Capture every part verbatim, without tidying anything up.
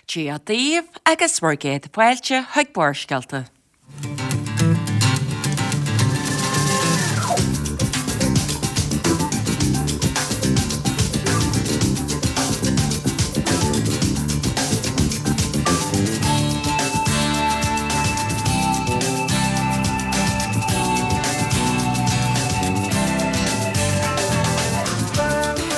Dia daoibh agus bhur gcéad fáilte chuig Barrscéalta.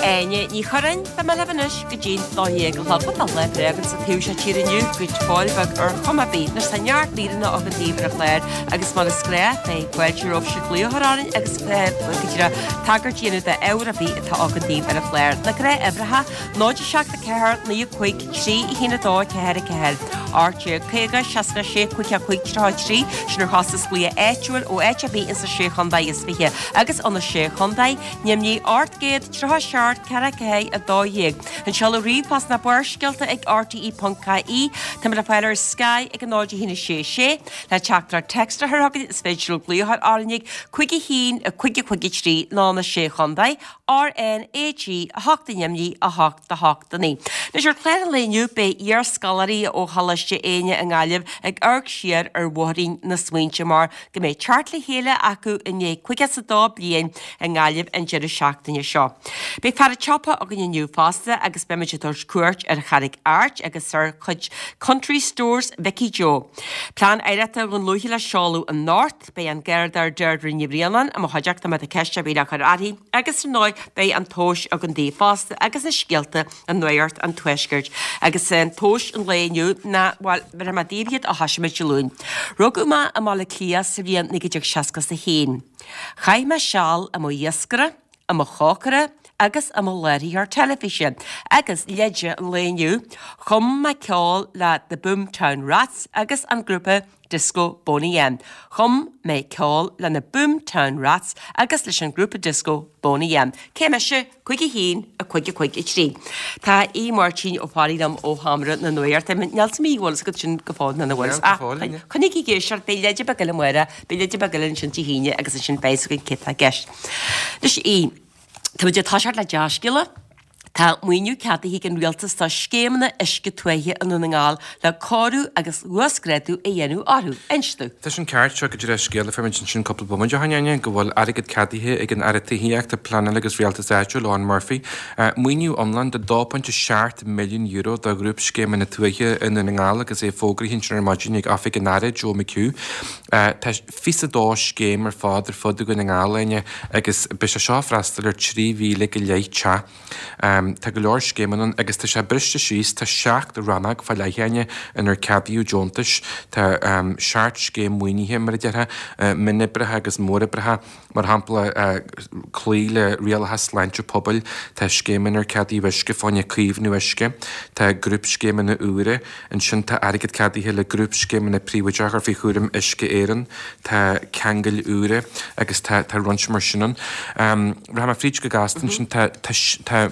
Áine Ní Churráin, beidh mé libh anois go dtí'n dó dhéag a chlog. Tá lá breá againn sa taobh seo tíre inniu, go fóill beag ar chuma ar bith. Anois tá neart míreanna againn daoibh ar an chlár agus mar is gnách beidh fáilte romhaibhse glaoch a chur orainn agus go díreach tagairt a dhéanamh d'ábhar ar bith atá againn daoibh ar an chlár. Na gnáthuimhreacha, náid a seacht a ceathair, naoi a cúig, trí a haon a dó, ceathair a ceathair, ocht déag caoga, seasca a sé, cúig a cúig, tríocha a trí, sin ar chostas glaoch áitiúil ó áit ar bith insa Sé Chontae is Fiche agus ó na Sé Chontae, Nimhní ocht gcéad tríocha a seacht, ceathair ceathair a dó dhéag. An seoladh ríomhphost ná Barrscéalta ag rte ponc ie. Táimid le fáil ar Sky ag a náid a haon a sé sé. Le teachtaireacht téacs a chur chugainn is féidir libh glaoch a chur orainn ag cúig a haon a cúig a cúig a trí nó na Sé Chontae, R N A G a hocht i nDoimní a hocht a hocht a naoi. Anois ar chlár an lae inniu beidh iarscoláirí ó Choláiste Éinne i nGaillimh ag amharc siar ar bhóithrín na smaointe mar go mbeidh teacht le chéile acu i ndiaidh caoga is a dó bliain i nGaillimh an deireadh seachtaine seo. Beidh fear an tsiopa againn inniu fosta agus beimid ag tabhairt cuairt ar Charraig Airt agus ar chuid Country Stores Mhicí Joe. Plean Oidhreachta Dhún Lúiche le seoladh anocht, beidh an Garda Deirdre Ní Bhraonáin i mo chuideachta má tá ceist ar bith le cur uirthi agus ar ndóigh beidh an tomhas againn daoibh fosta agus na scéalta i Nuacht an Tuaiscirt. Agus an tomhas an lae inniu ná, bhuel, bhéarfaidh mé daoibh iad ó thoisigh muid Dé Luain. Rugadh mé i mBaile Átha Cliath sa bhliain naoi déag seasca is a haon. Chaith mé seal i mo iascaire, i mo chócaire agus i mo láithreoir teilifíse agus leide an lae inniu, chum mé ceol le The Boomtown Rats agus an grúpa disco Boney M. Chum mé ceol le na Boomtown Rats agus leis an grúpa disco Boney M. Cé mise? Cúig a haon, a cúig a cúig a trí. Tá Aodh Máirtín Ó Fearraigh liom ó Sheomra na Nuachta. Níl a fhios agam an bhfuil fhios agat sin go fóill nó nach bhfuil. Níl, go fóill, ní. Coinnigí ag éisteacht, beidh leide beag eile amárach, beidh leide beag eile ansin Dé hAoine agus ansin beidh fhios againn cé atá i gceist. Anois, Aodh, tá muid ag toiseacht le dea-scéala. Tá maoiniú ceadaithe ag an Rialtas do scéimeanna uisce tuaithe i nDún na nGall le cóiriú agus uasghrádú a dhéanamh orthu. Inis domh. Tá sin ceart, seo go díreach scéal a fuair muid ansin cúpla bomaite ó shin, Áine, go bhfuil airgead ceadaithe ag an Aire Tithíochta, Pleanála agus Rialtais Áitiúil, Eoghan Murphy, maoiniú iomlán de dó pointe seacht milliún euro do ghrúpscéimeanna tuaithe i nDún na nGall agus é fógraithe ansin ar maidin ag Oifig an Aire, Joe McHugh. Tá fiche a dó scéim ar fad ar fud Dhún na nGall, Áine, agus beidh sé seo ag freastal ar trí mhíle go leith teach. Tá go leor scéimeanna ann agus tá sé briste síos, tá seacht rannóg fá leith, Áine, inar ceadaíodh deontais. Tá seacht scéim maoinithe, mar a déarfá, mionoibreacha agus móroibreacha, mar shampla cloí le rialacha sláinte pobail, tá scéim inar ceadaíodh uisce fá choinne caomhnú uisce, tá grúpscéimeanna úra, ansin tá airgead ceadaithe le grúpscéimeanna príobháideacha a chur faoi chúram Uisce Éireann, tá ceangail úra agus tá roinnt mar sin ann. Rachaidh mé fríd go gasta ansin, tá, tá, tá,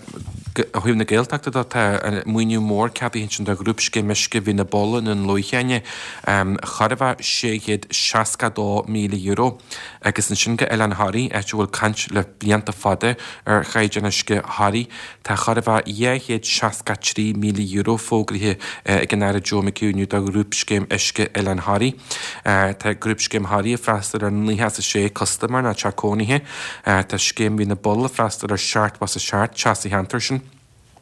ó thaobh na Gaeltachta de, tá maoiniú mór ceadaithe ansin do Ghrúpscéim Uisce Bhinn na Bóla i nDún Lúiche, Áine, chóir a bheith sé chéad seasca dó míle euro agus ansin go Oileán Thoraí, áit a bhfuil caint le blianta fada ar chaighdeán uisce Thoraí, tá chóir a bheith dhá chéad seasca trí míle euro fógraithe ag an Aire Joe McHugh inniu do Ghrúpscéim Uisce Oileán Thoraí. Tá Grúpscéim Thoraí ag freastal ar naocha is a sé custaiméir nó teach cónaithe. Tá Scéim Bhinn na Bóla ag freastal ar seachtó is a seacht teach sa cheantar sin.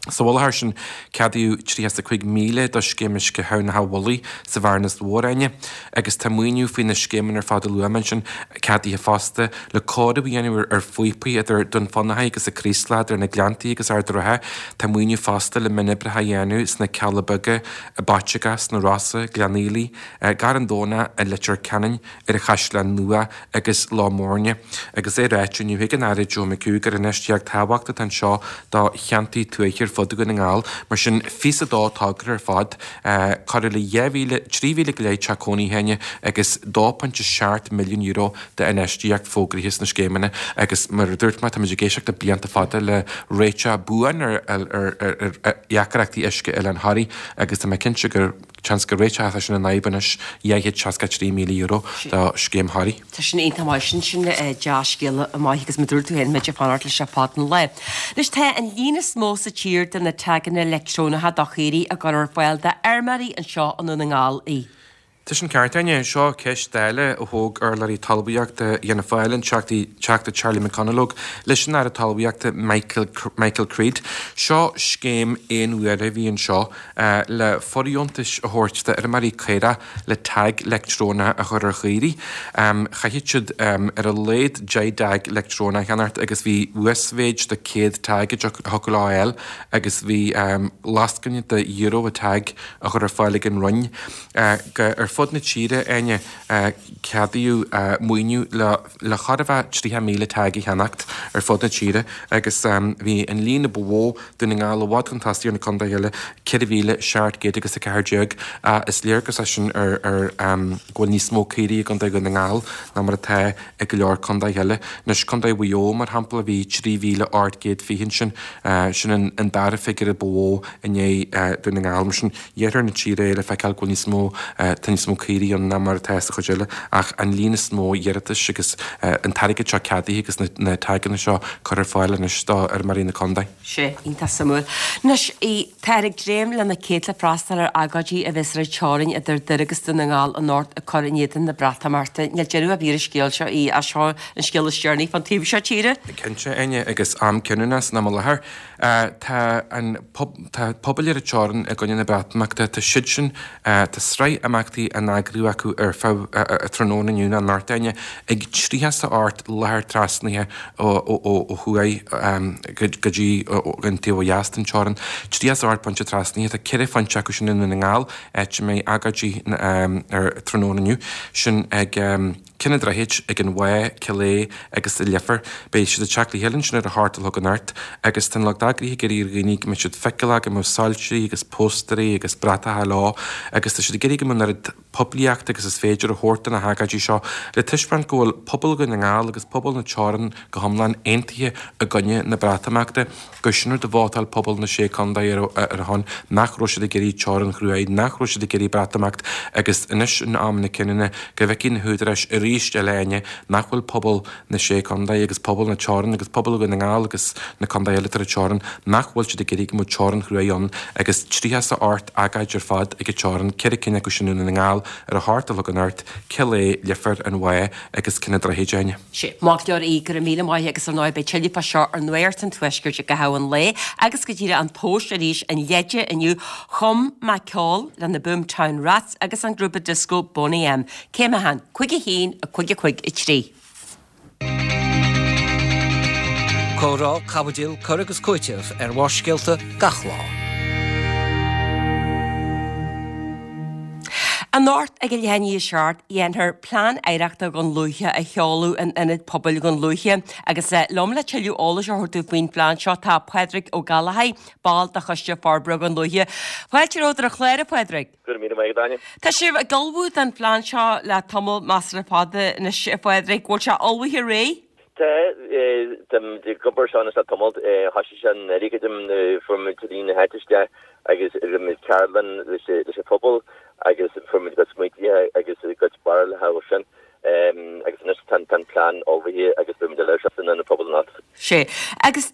Sa mhullach air sin, ceadaíodh tríocha is a cúig míle do Scéim Uisce Thamhnach an Mhullaigh sa Bhearnas Mhór, Áine, agus tá maoiniú faoi na scéimeanna ar fad a luaigh mé ansin ceadaithe fosta le cóiriú a dhéanamh ar phíopaí idir Dún Fionnachaidh agus an Chraoslach, idir na Gleanntaí agus Ard an Rátha. Tá maoiniú fosta le mionoibreacha a dhéanamh sna Cealla Beaga, i bPaiteagá, sna Rosa, Gleann Fhaoilí, Garrán Domhnach, i Leitir Ceanainn, ar an Chaisleán Nua agus Loch Moirne, agus é ráite inniu ag an Aire Joe McHugh gur infheistíocht thábhachtach atá anseo do cheantair tuaithe ar fud Dhún na nGall. Mar sin, fiche a dó togra ar fad, corradh le dhá mhíle, trí mhíle go leith teach cónaithe, Áine, agus dó pointe seacht milliún euro d'infheistíocht fógraithe sna scéimeanna agus mar a dúirt mé, táimid ag éisteacht le blianta fada le réiteach buan ar dheacrachtaí uisce Oileán Thoraí agus tá mé cinnte gur Seans go réiteoidh sin an fhadhb anois, dhá chéad seasca trí míle euro do scéim Thoraí. Tá sin iontach maith sin, sin dea-scéala maith agus mar a dúirt tú féin muid ag fanacht leis ar fad an lae. Anois tá an líon is mó sa tír de na taganna leictreonacha do chaoirigh á gcur ar fáil d'fheirmeoirí anseo i nDún na nGall í. Tá sin ceart, Áine. Seo ceist eile a thóg urlabhraí talmhaíochta Fhianna Fáil, an Teachta Charlie McConalogue, leis an Aire Talmhaíochta Michael, Michael Creed. Seo scéim aon uaire a bhí anseo le fóirdheontais a thabhairt d'fheirmeoirí caorach le tag leictreonach a chur ar chaoirigh. Chaithfeadh siad ar a laghad deich dtag leictreonach a cheannacht agus bhí uasmhéid de céad tag a thiocfadh leo a fháil agus bhí lascaine de euro an tag a chur ar fáil ag an Roinn. Ar fud na tíre, Áine, ceadaíodh maoiniú le le chóir a bheith tríocha míle tag a cheannacht ar fud na tíre agus bhí an líon a ba mhó, Dún na nGall i bhfad chun tosaigh ar na contaetha eile, ceithre mhíle seacht gcéad agus a ceathair déag. Is léargas é sin ar ar go bhfuil níos mó caoirigh i gContae Dhún na nGall ná mar atá i go leor contaetha eile. Anois, Contae Mhaigh Eo, mar shampla, bhí trí mhíle ocht gcéad fiche ansin, sin an dara figiúr a ba mhó i ndiaidh Dún na nGall. Mar sin, iarthar na tíre é le feiceáil go bhfuil níos mó, tá níos mó caoirigh ann ná mar atá sa chuid eile, ach an líon is mó iarratais agus an t-airgead seo ceadaithe agus na taganna seo curtha ar fáil anois do fheirmeoirí na contae. Sea, iontach suimiúil. Anois, táthar ag dréim le na céadta le freastal ar agóidí a bheas ar an teorainn idir Doire agus Dún na nGall anocht ag cur in éadan na Breatimeachta. Níl deireadh ar bith ar an scéal seo, ach seo an scéal is deireanaí fán taobh seo tíre. Cinnte, Áine, agus am cinniúnach san am i láthair. Tá an tá pobail ar an teorainn i gcoinne na Breatimeachta, tá siad sin, tá sraith imeachtaí á n-eagrú acu ar feadh tráthnóna inniu nó anocht, Áine, ag tríocha is a hocht láthair trasnaithe ó thuaidh go dtí an taobh ó dheas den teorainn. Tríocha is a hocht pointe trasnaithe, tá ceithre phointe acu sin i nDún na nGall, áit a mbeidh agóidí ar tráthnóna inniu, sin ag. Cionn an Droichid, ag an Mhá, Cill Aodha agus i Leifear. Beidh siad ag teacht le chéile ansin ar a hocht a chlog anocht agus tá an lucht eagraithe ag iarraidh ar dhaoine go mbeidh siad feiceálach, go mbeadh soilsirí agus póstaerí agus bratacha leo agus tá siad ag iarraidh go mbeadh an oiread poiblíochta agus is féidir a thabhairt do na hagóidí seo le taispeáint go bhfuil pobal Dhún na nGall agus pobal na teorann go hiomlán aontaithe i gcoinne na Breatimeachta. Gur sin rud a vótáil pobal na Sé Contae ar a shon, nach raibh siad ag iarraidh teorainn chruaidh, nach raibh siad ag iarraidh Breatimeacht agus anois in am na cinniúna go bhfeicfidh na húdaráis arís eile Áine nach bhfuil pobal na Sé Contae agus pobal na teorann agus pobal Dhún na nGall agus na contaetha eile atá ar an teorainn, nach bhfuil siad ag iarraidh go mbeadh teorainn chruaidh ann agus tríocha is a hocht agóid ar fad ag an teorainn, ceithre cinn acu sin i nDún na nGall ar a hocht a chlog anocht, Cill Aodha, Leifear, An Mhá agus Cionn an Droichid, Áine. Sea, maith go leor í, go raibh míle maith agus ar ndóigh beidh tuilleadh fá seo ar Nuacht an Tuaiscirt i gcaitheamh an lae agus go díreach an tomhas arís an leide inniu chum mé ceol le na Boomtown Rats agus an grúpa dioscó Boney M. Céim a haon, cúig a haon, a cúig a cúig a trí. Comhrá, caibidil, cur agus cúiteamh ar Bharrscéalta gach lá. Anocht ag a leath i ndiaidh a seacht, dhéanfar Plean Oidhreachta Dhún Lúiche a sheoladh in Ionad Pobail Dhún Lúiche agus liom le tuilleadh eolais a thabhairt dúinn faoin phlean seo tá Pádraig Ó Gallchóir, ball de Choiste Forbartha Dhún Lúiche. Fáilte romhat ar an chlár, a Phádraig. Go raibh míle maith agat, Áine. Tá sibh ag ullmhú don phlean seo le tamall measartha fada anois, a Phádraig. Bhfuil sé ullmhaithe réidh? Tá, táimid ag obair seo anois le tamall. Thoisigh sé anuraidh, creidim, fuair muid daoine na háite isteach agus rinne muid ceardlann leis an phobal agus fuair muid a gcuid smaointithe agus a gcuid barúlacha ó sin agus anois tá an plean ullmhaithe agus beidh muid á labhairt san ionad pobail anocht. Sea. Agus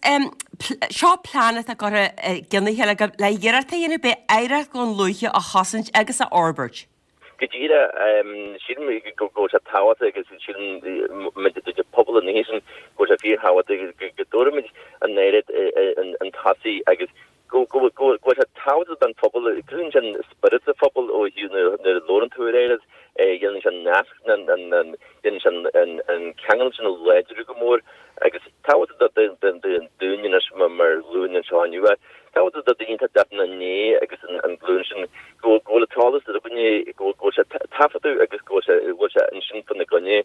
seo plean atá curtha i gcionn a chéile agaibh le hiarracht a dhéanamh beidh oidhreacht Dhún Lúiche a chosaint agus a fhorbairt. Go díreach, sílim go bhfuil sé tábhachtach agus sílim muid de phobal an oíche sin go bhfuil sé fíorthábhachtach go dtabharfaimid an oidhreacht chun tosaigh agus go bhfuil sé tábhachtach don phobal, cruthaíonn sé an spiorad sa phobal ó thaobh nuair a labhrann tú ar oidhreacht, déanann sé an nasc, déanann sé an ceangal sin a láidriú go mór agus tábhachtach dúinn anois mar ghlúin anseo inniu. Tábhachtach do daoine atá ag teacht inár ndiaidh agus an glúin sin go bhfuil an t-eolas againne, go bhfuil sé taifeadta agus go bhfuil sé ansin fána gcoinne.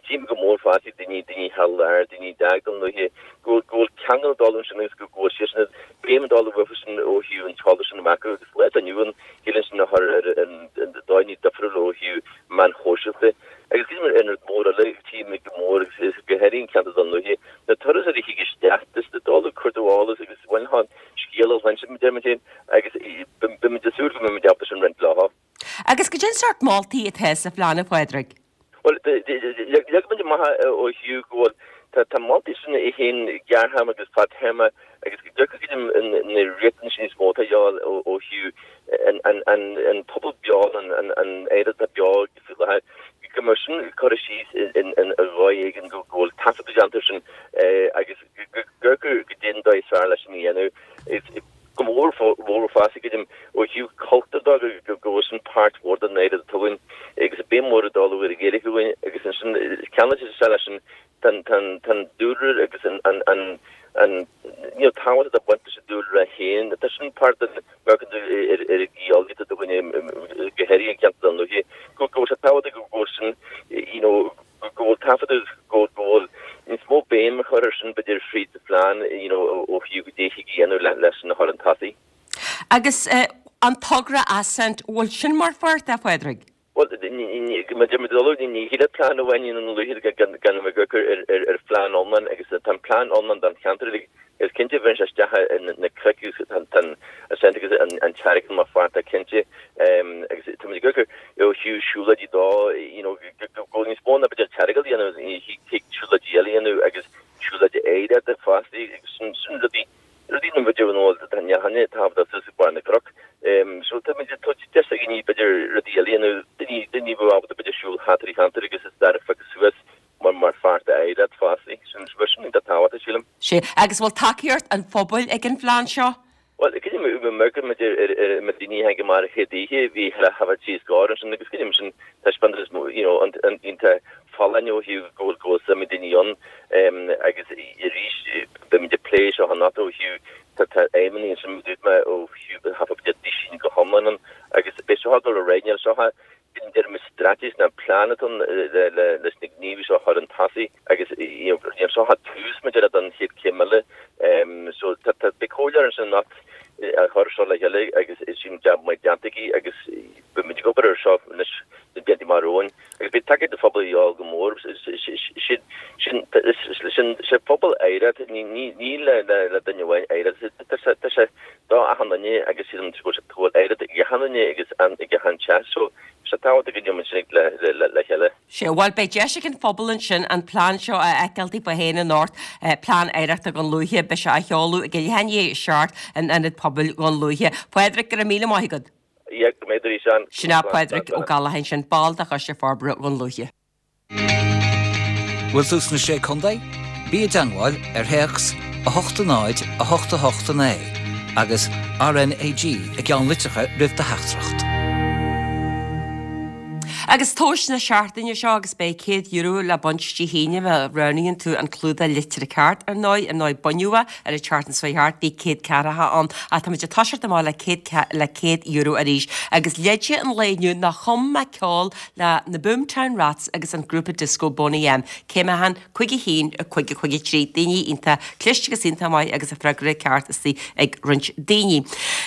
Tchím go mór fosta daoine, daoine thar lear, daoine a d'fhág Dún Lúiche, go bhfuil ceangal ag dul ansin agus go bhfuil siadsan ag béim ag dul uathu sin ó thaobh an t-eolas sin a bheith acu agus lá atá inniu ann shíleann sin a chur ar dóigheanna difriúla ó thaobh meáin shóisialta. Agus creidim an rud mór eile, tchím go mór agus go háirithe in ceantar Dún Lúiche, na turasóirí a thig isteach, just ag dul ag cuartú eolas agus bhainfeá an scéal a chluinstin, deir muid féin, agus Beimid ag súil go mbeimid ábalta sin roinnt leo. Agus goidé an sórt moltaí atá sa phlean, a Phádraig? Bhuel, leag muid amach ó thaobh go bhfuil, tá moltaí sin é féin gearrthéarma agus fadtéarma agus go dtiocfaidh na riachtanais níos mó atá ann ó thaobh an pobal beo, an oidhreacht atá beo faoi láthair, go mbeadh sin curtha síos i dhóigh éigin go bhfuil taifeadadh déanta air sin agus go goidé an dóigh is fearr leis sin a dhéanamh. Go mór mhór fosta creidim ó thaobh cultúr de go bhfuil sin páirt mhór den oidhreacht atá againn agus béim mhór ag dul ar an Ghaeilge againn agus ansin ceangailte sé leis sin tá an dúlra agus an an an you know tábhacht atá baint leis an dúlra féin tá sin páirt den ar ar an gheolaíocht atá againn go háirithe i gceantar Dhún Lúiche go bhfuil sé tábhachtach go bhfuil sin you know go bhfuil taifeadadh go bhfuil níos mó béim a chur ar sin b'fhéidir fríd sa phlean you know ó thaobh goidé a thig a dhéanamh leis sin a chur chun tosaigh. Agus an togra Ascent, bhfuil sin mar pháirt de, a Phádraig? Bhuel, mar a deir muid uilig, ní thig le plean amháin i nDún Lúiche gan a bheith ag amharc ar phlean iomlán agus tá an plean iomlán don cheantar uilig Is cinnte bheireann sé isteach na cnoic agus tá an Ascent agus an Tearca mar pháirt de cinnte agus tá muid ag amharc ó thaobh siúlóidí dó you know go bhfuil níos mó ná b'fhéidir Tearca a dhéanamh thig siúlóidí eile a dhéanamh agus siúlóidí oidhreachta fosta agus sin sin rudaí rudaí na b'fhéidir nó tá neachanna tábhachtach suas ag barr na gcnoc so tá muid ag tabhairt deis do dhaoine b'fhéidir rudaí eile a dhéanamh daoine daoine a bheadh ábalta b'fhéidir siúl thart ar an cheantar agus is stair a phiocadh suas mar mar pháirt d'oidhreacht fosta. Sin sin iontach tábhachtach, sílim. Sea. Agus bhfuil tacaíocht an phobail ag an phlean seo? Bhuel, creidim amharcann muid ar ar na daoine a tháinig amach ar an chéad oíche, bhí chuile thaifead trí scór ansin agus creidim sin taispeántas you know an an iontach folláin ó thaobh go bhfuil go bhfuil suim ag daoine ann agus arís beimid ag plé seo anocht ó thaobh tá tá aidhmeanna ansin dúirt mé ó thaobh thaifead daoine go hiomlán ann agus beidh seo ag dul ar aghaidh níl seo Déarfaidh muid straitéis ná plean atá ann leis na gníomhaí seo a chur chun tosaigh agus you know seo tús maidir le don chéad chéim eile. So tá beidh comhairleoir ansin anocht a chur seo le chéile agus sin jab maith déanta aici agus beidh muid ag obair ar seo anois na blianta amach romhainn agus beidh tacaíocht an phobail a dhíobháil go mór. Sin sin sin sé pobal oidhreacht ní ní ní le le duine amháin oidhreacht tá sé tá sé do achan duine agus sílim go bhfuil oidhreacht ag achan duine agus ag achan teach so Tá sé tábhachtach go ndéanfaidh muid sin le chéile. Sea, bhuel, beidh deis ag an phobal ansin an plean seo a fheiceáil daofa féin anocht, Plean Oidhreachta Dhún Lúiche. Beidh sé á sheoladh ag a leath i ndiaidh a seacht in Ionad Pobail Dhún Lúiche. Pádraic, go raibh míle maith agat. Yeah, go raibh maith agat arís, Ann. Sin é Pádraic Ó Gallchóir ansin, ball de Choiste Forbartha Dhún Lúiche. Bhfuil tú sna Sé Contae? Bí i dteangmháil ar théacs a hocht a náid a hocht a hocht a naoi agus RnaG i gceannlitreacha roimh do theachtaireacht. Agus tomhais na seachtaine seo agus beidh céad euro le baint Dé hAoine má roghnaíonn tú an clúdach litrithe ceart ar ndóigh, ar ndóigh baineadh é ar an tseachtain seo thart, bhí céad ceathracha ann ach tá muid ag toiseacht amach le céad le céad euro arís. Agus leid an lae inniu ná chum mé ceol le na Boomtown Rats agus an grúpa disco Boney M. Cé mé han cúig a haon, a cúig, a cúig a trí. Daoine iontach cliste agus iontach maith agus an freagra ceart istigh ag roinnt daoine.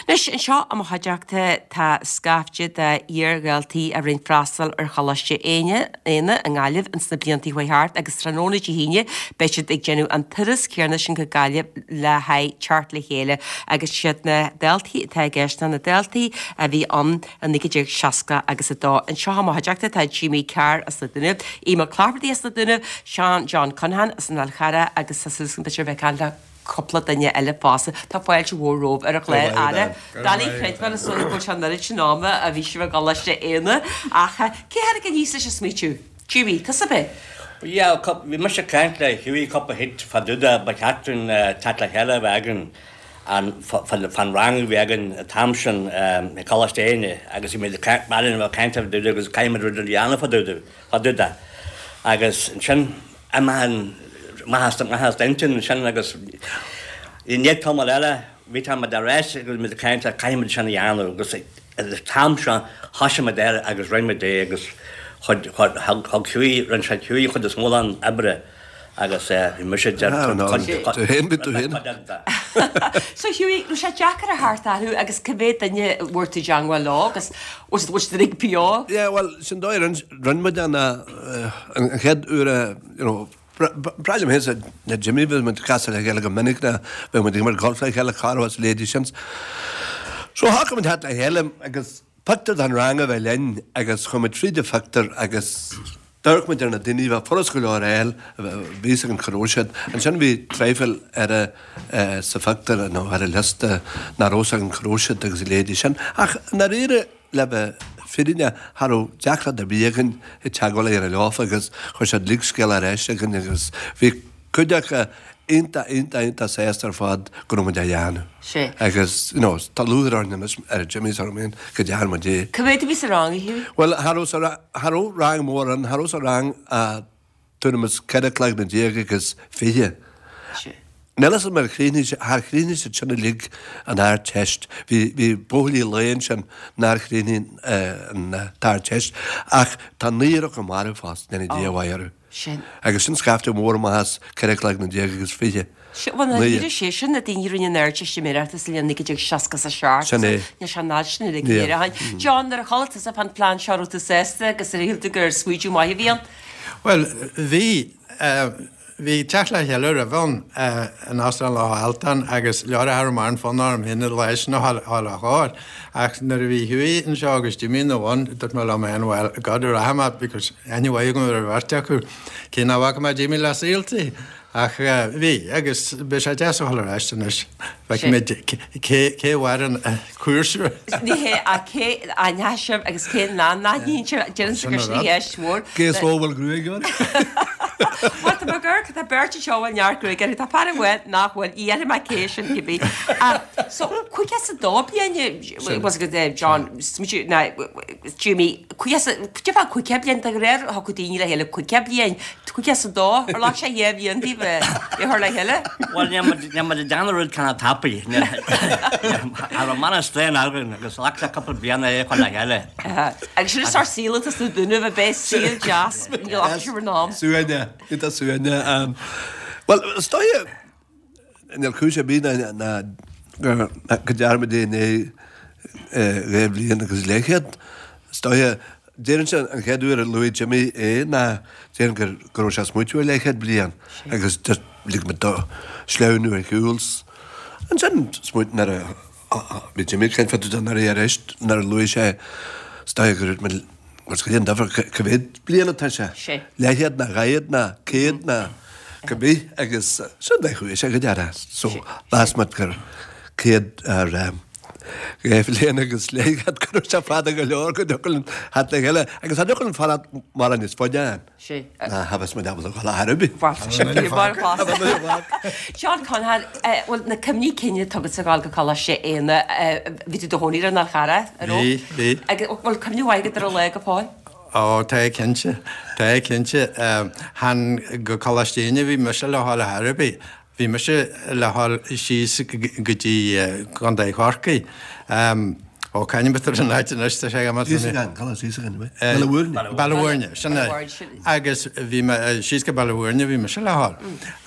Anois, anseo i mo chuideachta tá scaifte de iar-dhaltaí a rinne freastal ar Choláiste Éanna i nGaillimh ins na blianta a chuaigh thart agus tráthnóna Dé hAoine beidh siad ag déanamh an turas céanna sin go Gaillimh le haghaidh teacht le chéile agus siad na daltaí atá i gceist ná na daltaí a bhí ann i naoi déag seasca agus a dó. Anseo i mo chuideachta tá Jimmy Carr as na Dúnaibh, Aodh Mac Laifeartaigh as na Dúnaibh, Seán John Conaghan as an Fhál Charrach agus tá súil agam b'fhéidir a bheith ag caint le cúpla duine eile fosta. Tá fáilte mhór romhaibh ar an chlár. Ara, doiligh creidbheáil is dóigh go bhfuil sé an oiread sin ama a bhí sibh i gColáiste Éanna ach cé tháinig aníos leis an smaoitiú? Jimmy, tusa ab é? Yeah, bhí mise ag caint le Hughie cúpla hit fá dtaobh de ba cheart dúinn teacht le chéile a bheith againn an fán rang a bhí againn an t-am sin i Coláiste Éanna agus bhí muid ag caint ag caint fá dtaobh de agus caithfidh muid rud a dhéanamh fá dtaobh fá dtaobh de agus ansin amach an amach as amach as d'intinn ansin agus i ndiaidh tamall eile bhí tá muid ar ais agus muid ag caint caithfidh muid sin a dhéanamh agus an t-am seo thosaigh muid air agus rinne muid é agus chuid thug Hughie rinne sé Hughie chuid is mó den oibre Agus bhí mise ag Tú féin, bhí tú féin. So Hughie, raibh sé deacair a theacht orthu agus cá mhéad duine a bhfuair tú i dteangmháil leo agus bhfuil siad bhfuil siad uilig beo? Yeah, bhuel, sin dóigh, rinne rinne muid an an chéad uair a, you know, breá liom féin le Jimmy, bhí muid ag casadh le chéile go minic, bhí muid ag imirt golf le chéile, cara as leithéidí sin. So shocraigh muid theacht le chéile agus pictiúr den rang a bheith linn agus chuaigh muid fríd an phictiúr agus d'amharc muid ar na daoine, bheadh furast go leor a fháil, bhí fhios againn cá raibh siad. Ansin bhí traidhfil ar a sa phictiúr nó ar an liosta nach raibh fhios againn cá raibh siad agus a leithéidí sin. Ach i ndáiríre, le bheith fírinneach, cha raibh deacracht ar bith againn ag teagmháil a dhéanamh leofa agus chuir siad uilig scéal ar ais againn agus bhí cuid acu iontach, iontach, iontach sásta ar fad go raibh muid á dhéanamh. Sea. Agus, you know, tá lúcháir orainn anois, ar Jimmy is orm féin, go dtearn muid é. Cá mhéad a bhí sa rang, a Hughie? Bhuel, cha raibh sa, cha raibh rang mór ann, cha raibh sa rang ach tuairim is ceithre cloigne déag agus fiche. Sea. Níl fhios agam ar chríochnaigh sé, char chríochnaigh siad sin uilig an Ardteist. Bhí, bhí buachaillí lae ansin nár chríochnaigh an tArdteist ach tá naonúr acu marbh fós, go ndéana Dia a mhaith orthu. Sin. Agus sin scaifte mór amach as ceithre cloigne déag agus fiche. Sin, bhuel, Naoi. ní sé sin na daoine a rinne an Ardteistiméireacht sa bhliain naoi déag seasca a seacht. Sin é. Níl sé an fhad sin uilig Níl. ar aghaidh. John, nuair a chuala tusa fán phlean seo raibh tú sásta agus ar shíl tú gur smaoitiú maith a bhí ann? Bhuel, bhí. Bhí teacht le chéile roimhe ann in Óstán Loch Altan agus leor a raibh mar an fonn orm féin an lá sin a dhul a chóir. Ach nuair a bhí Hughie anseo agus Jimmy ina bhun, dúirt mé liom féin, well, God rachaidh mé because aithne mhaith agam ar an bheirt acu, cé nach bhfaca mé Jimmy le saoltaí. Ach bhí, agus beidh sé deas a dhul ar ais anois. Feicfimid cé cé a mhair an cúrsa. Ní hé ach cé a aithneoidh sibh agus cé nach n-aithníonn sibh, déarfainnse gur sin í ceist mhór. Cé is mó a bhfuil gruaig air? Bhuel, tá mé ag amharc, tá beirt anseo a bhfuil neart gruaig orthu, tá fear amháin nach bhfuil, ní dhéarfaidh mé cé sin cibé. So, caoga is a dó bliain, was it John, ná Jimmy, caoga is a, cad é fá caoga bliain, de réir thiocfadh daoine le chéile caoga bliain, caoga is a dó, ar ghlac sé dhá bhliain daoibh a chur le chéile? Bhuel, níl muid níl muid ag déanamh rud cineál tapaidh. Cha raibh mana strain againn agus ghlac sé cúpla bliain é a chur le chéile. Agus sin an sórt saoil atá sna Dúnaibh, ab é saol deas, ní ghlacann sibh bhur n-am. Suaimhne, iontach suaimhne. Bhuel, is dóigh, níl cúis ar bith ná go ndearna muid é i ndiaidh dhá bhliain agus leathchéad. Is dóigh, déarfainnse an chéad uair a luaigh Jimmy é ná déarfainn gur go raibh sé ag smaoitiú ar leathchéad bliain agus just lig muid dó sleamhnú ar shiúl. Ansin smaoint nuair a bhí Jimmy ag caint fá dtaobh de nuair a arís nuair a luaigh sé is dóigh gur dúirt muid bhuel cad é an difear cá mhéad bliain atá sé? Leathchéad ná dhá chéad ná céad ná cibé agus sin é chuaigh sé go deireadh. So mheas muid gur céad ar dhá bhliain agus leathchéad go raibh sé fada go leor go dtiocfadh linn theacht le chéile agus cha dtiocfadh linn fanacht mórán níos faide ann. Ná cha bheas muid ábalta dul ar bith. John Conhan, bhuel na cuimhní cinn atá agat ag gabháil go Coláiste Éanna, bhí tú i do chónaí ar an Fhál Charrach, an raibh? Bhí, bhí. Agus bhfuil cuimhne mhaith agat ar an lá go fóill? Ó, tá cinnte, tá cinnte. Chan go Coláiste Éanna a bhí mise le dhul ar chor ar bith. Bhí mise le dhul síos go dtí Contae Chorcaí. Ó, c'ainm atá ar an áit anois, tá sé agam. Íosagáin, Coláiste Íosagáin, an ea? Baile Mhúirne. Baile Mhúirne, sin é. Agus bhí mé, síos go Baile Mhúirne a bhí mise le dhul.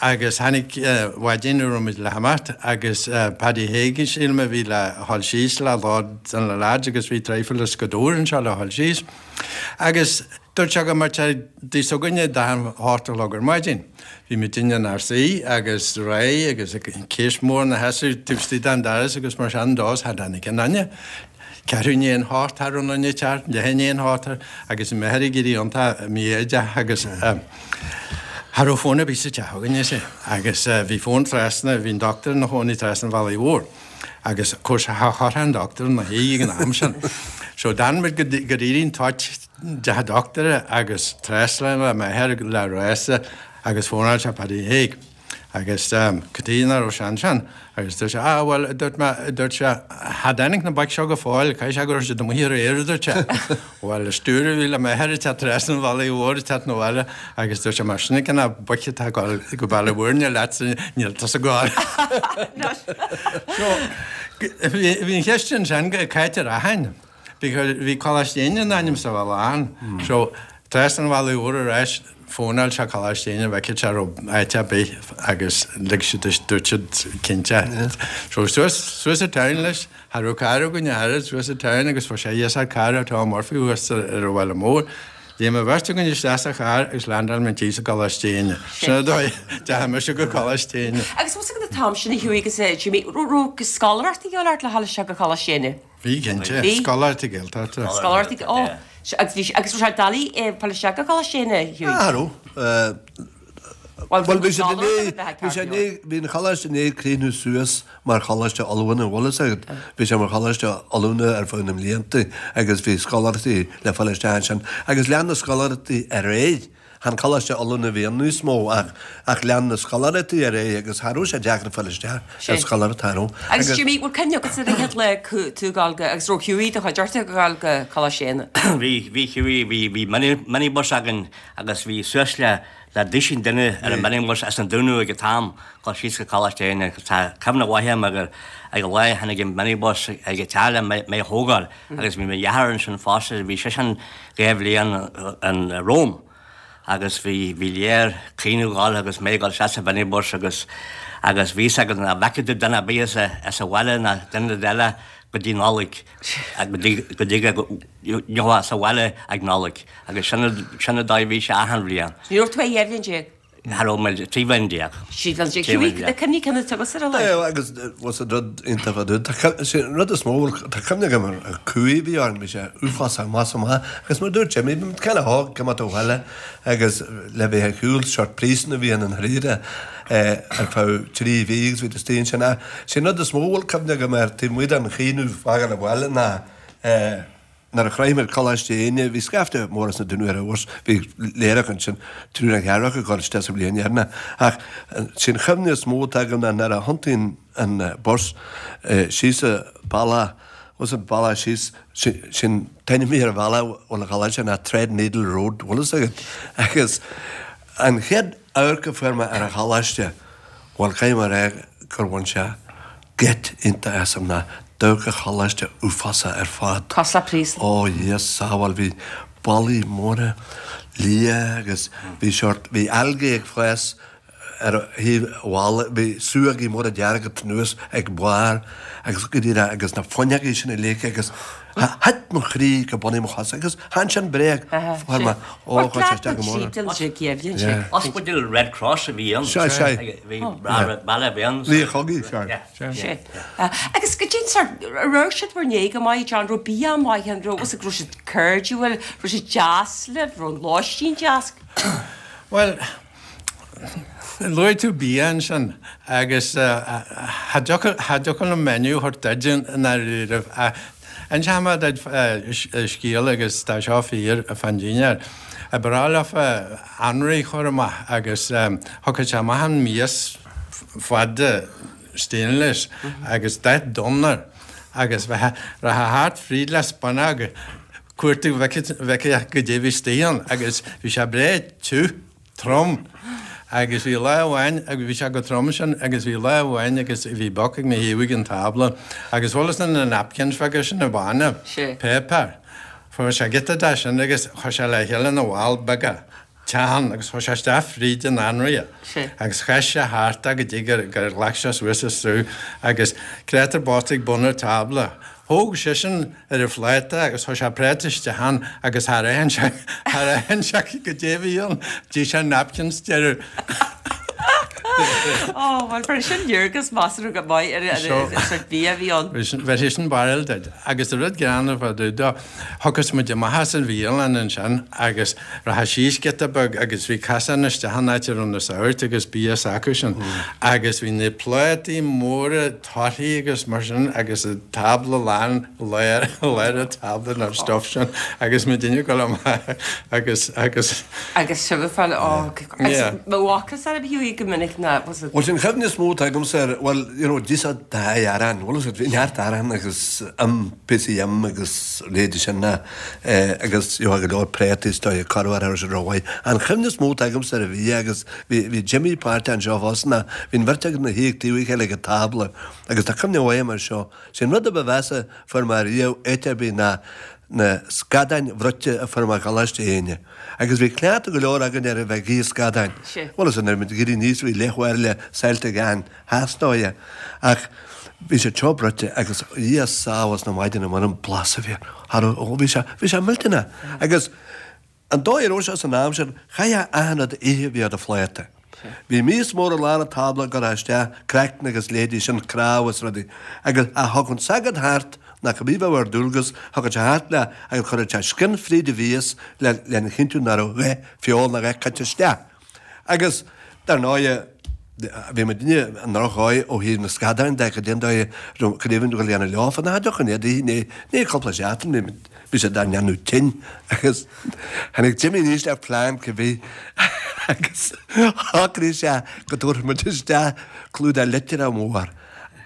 Agus tháinig maidin a raibh muid le himeacht agus Paddy Hague, sílim, a bhí le dhul síos le lá de na lads agus bhí traidhfil as Gaoth Dobhair anseo le dhul síos. Agus dúirt sé go mbeadh sé dtigh s'againne ag a hocht a chlog ar maidin. Bhí muidinne inár suí agus réidh agus case mór ina sheasamh taobh istigh den doras agus mar sin dó, cha dtáinig aon duine. Ceathrú i ndiaidh a hocht cha raibh aon duine ag teacht, leath i ndiaidh a hocht agus bhí m'athair ag éirí iontach mífhoighdeach agus cha raibh fón ar bith sa teach againne, sea. Agus bhí fón trasna, bhí an doctor ina chónaí trasna an Bhealaigh Mhóir. Agus of course cha chuirfeá an doctor ina shuí ag an am sin. So d'fhan muid go d'éirigh an toit dteach an doctora agus trasna le m'athair le rása agus fónáil sé Paddy Hague. Agus cad chuige nach raibh sé ansin? Agus dúirt sé, ah bhuel, a dúirt mé, a dúirt sé, cha dtáinig na boic seo go fóill, caithfidh sé go raibh siad amuigh aréir, a dúirt sé. Bhuel, is dúr a bhí le m'athair ag teacht trasna an bhealaigh mhóir ag teacht 'na bhaile agus dúirt sé, mar sin ag na boic atá ag dul go Baile Mhúirne leatsa, níl tusa ag gabháil. So, bhí an cheist ansin cá háit a rachainn because bhí Coláiste Éanna in ainm is a bheith lán. So, trasna an bhealaigh mhór ar ais, fónáil sé Coláiste Éanna, bhfeicfeadh sé raibh áit ar bith agus lig siad, dúirt siad cinnte. So, suas, suas an town leis. Cha raibh carr againn ach oiread, suas an town agus fuair sé iasacht cairr ó Tom Murphy thuas ar an bhaile mór. Léim an bheirt againn isteach sa charr agus landáil muid síos i gColáiste Éanna. Sin an dóigh a dteachaigh mise go Coláiste Éanna. Agus bhfuil a fhios agat an t-am sin a Hughie agus a Jimmy, raibh scoláireacht a dhíobháil ort le dhul isteach go Coláiste Éanna? Bhí cinnte, Bhí. Scoláireachtaí Gaeltachta. Scoláireachtaí, ó, agus bhí, agus raibh sé doiligh fáil isteach go Coláiste Éanna, Hughie? Ah, raibh. Bhuel, bhí sé i ndiaidh, bhí sé i ndiaidh, bhí an choláiste i ndiaidh críochnú suas mar choláiste oiliúna, bhfuil fhios agat. Bhí sé mar choláiste oiliúna ar feadh na mblianta agus bhí scoláireachtaí le fáil isteach ansin. Agus lean na scoláireachtaí ar aghaidh. Chan coláiste oiliúna a bhí ann níos mó ach ach lean na scoláireachtaí ar aghaidh agus cha raibh sé deacair fáil isteach ar scoláireacht, cha raibh. Agus Jimmy, bhfuil cuimhne agatsa ar an chéad lá tú ag dul go, agus raibh Hughie i do chuideachta ag dul go Coláiste Éanna? Bhí, bhí Hughie, bhí, bhí mini, minibus againn agus bhí suas le, le duisín duine ar an minibus as an Dúnaibh ag an t-am dul síos go Coláiste Éanna agus tá cuimhne mhaith agam gur ag an lá a tháinig an minibus ag an teach le mé, mé a thógáil agus bhí mo dheartháir ansin fosta, bhí seisean dhá bhliain in Rome. Agus bhí, bhí léir caoineadh ag gol agus mé ag dul isteach sa mhinibus agus, agus bhí fhios agam nach bhfeicfeadh tú duine ar bith as a, as an bhaile ná duine eile go dtí Nollaig, go dtí, go dtí go ngeofá sa bhaile ag Nollaig. Agus sin, sin an dóigh a bhí sé achan bhliain. Ní raibh tú ach dhá bhliain déag? Cha raibh mé, trí bhliain déag. Trí bhliain déag. Hughie, na cuimhní cinn atá agatsa ar an lá? É, agus was an rud iontach fá dtaobh. Tá, sé an rud is mó, tá cuimhne agam ar an cumhaidh a bhí orainn, bhí sé uafásach amach is amach. Agus mar a dúirt Jimmy, bhí muid kind of óg, go mbeadh tú abhaile agus le bheith ar shiúl, sórt príosún a bhí in an Ríre ar feadh trí mhí agus bhí tú istigh ansin. Ach sé an rud is mó a bhfuil cuimhne agam air taobh amuigh den chaoineadh fágáil abhaile ná eh, Nuair a shroich muid Coláiste Éinne, bhí scaifte mór as na Dúnaibh ar an bhus, bhí léireach ansin, triúr nó ceathrar acu ag dul isteach sa bhliain dheireanach. Ach sé an chuimhne is mó atá agam ná nuair a thiontaíonn an bus síos an bealach, bhfuil an bealach síos, sin t-ainm a bhí ar an bhealach bhfuil an choláiste ná Threadneedle Road, bhfuil fhios agat? Agus an chéad amharc a fuair mé ar an choláiste, bhuel caithfidh mé a rá gur bhain sé geit iontach asam ná d'amharc an choláiste uafásach ar fad. Cosúil le príosún. Ó Dhia sábháil, bhí ballaí móra liath agus bhí sórt, bhí algae ag fás ar thaobh an bhalla, bhí súógaí móra dearga anuas ag barr agus go díreach agus na fuinneogaí sin uilig agus thit mo chroí go bun mo chosa agus chan sin bréag, fuair mé, ó chuir sé isteach go mór orm. Ospidéal Red Cross a bhí ann. Sea, sea. Bhí baile a bhí ann. Bhí chogaidh, sea. Sea. Agus goidé an sórt, raibh siad bhur ndiaidh go maith, John, raibh bia maith ann, raibh, raibh siad cairdiúil, raibh siad deas libh, raibh an lóistín deas? Bhuel, luaigh tú bia ansin agus cha dtiocfadh liom menu a thabhairt duit i ndáiríribh ach inseoidh mé duit scéal agus tá seo fíor fán dinnéar. Ba bhreá leofa anraith a chur amach agus thiocfadh sé amach an mias fada stainless agus dath donn air agus bheadh rachfá thart fríd le spúnóg ag cuartú bhfeicfeá goidé bhí istigh ann agus bhí sé breá tiubh, trom agus bhí lá amháin agus bhí sé chomh trom sin agus bhí lá amháin agus bhí boc ag mo thaobh ag an tábla agus bhfuil fhios na napkins bheaga sin na bána, páipéar, fuair sé giota de sin agus chuir sé le chéile ina bhall beaga. teann agus chuir sé isteach fríd an anraith agus chaith sé thart é go dtí gur ghlac sé suas an sruth agus créatúr bocht ag bun an tábla. Thóg seisean ar a phláta agus chuir sé práta isteach ann agus char aithin sé char aithin sé goidé a bhí ann. D'ith sé napkins deireadh. Ó, bhuel, fuair sin léargas measartha go maith ar an sórt bia a bhí ann. Bheir sin barúil duit. Agus an rud greannmhar fá dtaobh dó, thiocfas muid amach as an bhialann ansin agus rachfá síos giota beag agus bhí casán isteach an áit a raibh na sagairt agus bia s'acusan agus bhí na plátaí móra torthaí agus mar sin agus an tábla lán lár lár an tábla den stuff sin agus muidinne ag dul amach agus agus Agus sibh ag fáil ó agus mo bhacas ar bhí go minic ná was it Bhuel sin chuimhne is mó atá agamsa ar bhuel you know d'ith siad dá arán bhuel bhí neart arán agus im píosaí im agus leithéidí sin ná eh agus you know go leor préataí is dóigh corruair ar sin rómhaith. An chuimhne is mó atá agamsa ar an bhia agus bhí bhí Jimmy páirteach anseo fosta ná bhí an bheirt againn ina shuí ag taobh a chéile ag an tábla agus tá cuimhne mhaith agam ar seo. Sé an rud a ba mheasa fuair mé riamh áit ar bith ná na scadáin bhruite a fuair mé i gColáiste Éinne. Agus bhí cleachtadh go leor againn ar a bheith ag ithe scadáin. Bhuel, is nuair a bhí muid ag éirí aníos bhí leathbhairille saillte ag achan theastóidhe. Ach bhí sé teo bruite agus Dhia sábháil na maidine mar an blas a bhí air. Cha raibh, ó bhí sé, bhí sé millteanach. Agus an dóigh a raibh sé san am sin, chaithfeá achan rud a ithe a bhí ar do phláta. Bhí mias mór i lár an tábla a gcuirfeá isteach craiceann agus leithéidí sin, cnámha is rudaí. Agus ach thiocfadh an sagart thart ná cibé a bheadh ar dualgas, thagadh sé thart leat agus chuireadh sé scian fríd a mhias lena chinntiú nach raibh a dhath feoil ná a dhath caite isteach. Agus, dar ndóighe, bhí muidinne i ndrochdhóigh ó thaobh na scadáin de, cad é an dóigh a raibh cad é a dhéanamh leofa, ná deoch an éadaigh, ní, ní cúpla seachtain, bhí muid, bhí siad dár ndéanamh tinn agus tháinig Jimmy aníos le plean cibé agus shocraigh sé go dtabharfadh muid isteach clúdach litreach mór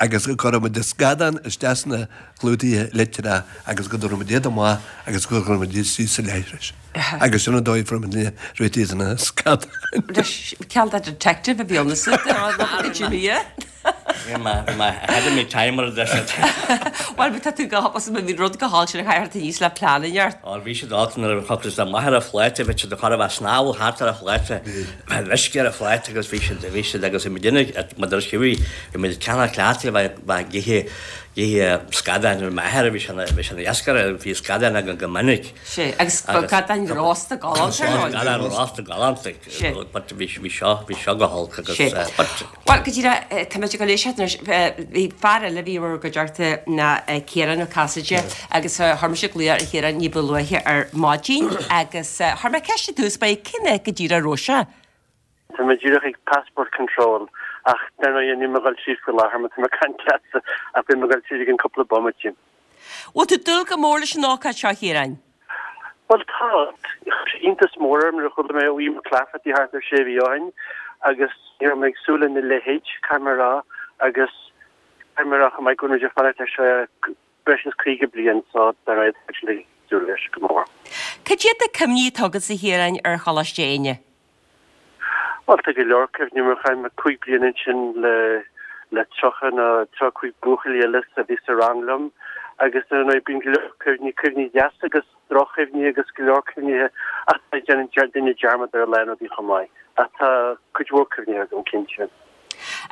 agus go gcuirfeadh muid na scadáin isteach sna clúdaithe litreach agus go dtabharfadh muid iad amach agus go gcuirfeadh muid iad síos sa leithreas. Agus sin an dóigh a fuair muid réitithe de na scadáin. Cineál de detective a bhí ann is Jimmy. Bhí mé ahead of me time mar a deir siad. Bhuel, tá tú go bhí rud go hálainn sin a chaithfear aníos le plean a neart. Ó bhí siad áit nuair a chuaigh siad amach ar an phláta, bhí siad ag cur a bheith snámh thart ar an phláta, bheith uisce ar an phláta agus bhí siad, bhí siad agus bhí muid ina, mar a deir Hughie, bhí muid ceannach cleachtaithe a bheith, bheith ag ithe, ithe scadáin, bhí m'athair, bhí sé ina, bhí sé ina iascaire, bhí scadáin againn go minic. Sea, agus scadáin rósta galánta ar ndóigh. Scadáin rósta galánta, but bhí, bhí seo, bhí seo go holc agus, but. Bhuel, go díreach, tá muid ag dul éisteacht anois, bhí fear eile a bhí i bhur gcuideachta ná Ciarán Ó Casaide agus chuir mise glaoch ar Chiarán ní ba luaithe ar maidin agus chuir mé ceist i dtús báire cén áit go díreach a raibh sé. Tá mé díreach ag passport control ach dar ndóigh níl mé ag dul tríd faoi láthair mar tá mé ag caint leatsa ach beidh mé ag dul tríd i gcionn cúpla bomaite. Bhfuil tú ag dúil go mór leis an ócáid seo, a Chiaráin? Bhuel tá. Chuir sé iontas mór orm nuair a chuala mé ó Aodh Mac Laifeartaigh thart ar sé mhí ó shin agus ní raibh mé ag súil lena leithéid, caithfidh mé a rá, agus caithfidh mé a rá chomh maith go bhfuil muid ag fanacht leis seo breis is caoga bliain so dar ndóigh tá muid ag súil leis go mór. Cad iad na cuimhní atá agat a Chiaráin ar Choláiste Éinne? Bhuel, tá go leor cuimhní mar chaith mé cúig bliana ansin le le tríocha nó tríocha cúig buachaillí eile a bhí sa rang liom agus ar ndóigh bíonn go leor cuimhní, cuimhní deasa agus droch-chuimhní agus go leor cuimhnithe ach déanann duine dearmad ar a lán rudaí chomh maith. Ach tá cuid mhór cuimhní agam cinnte.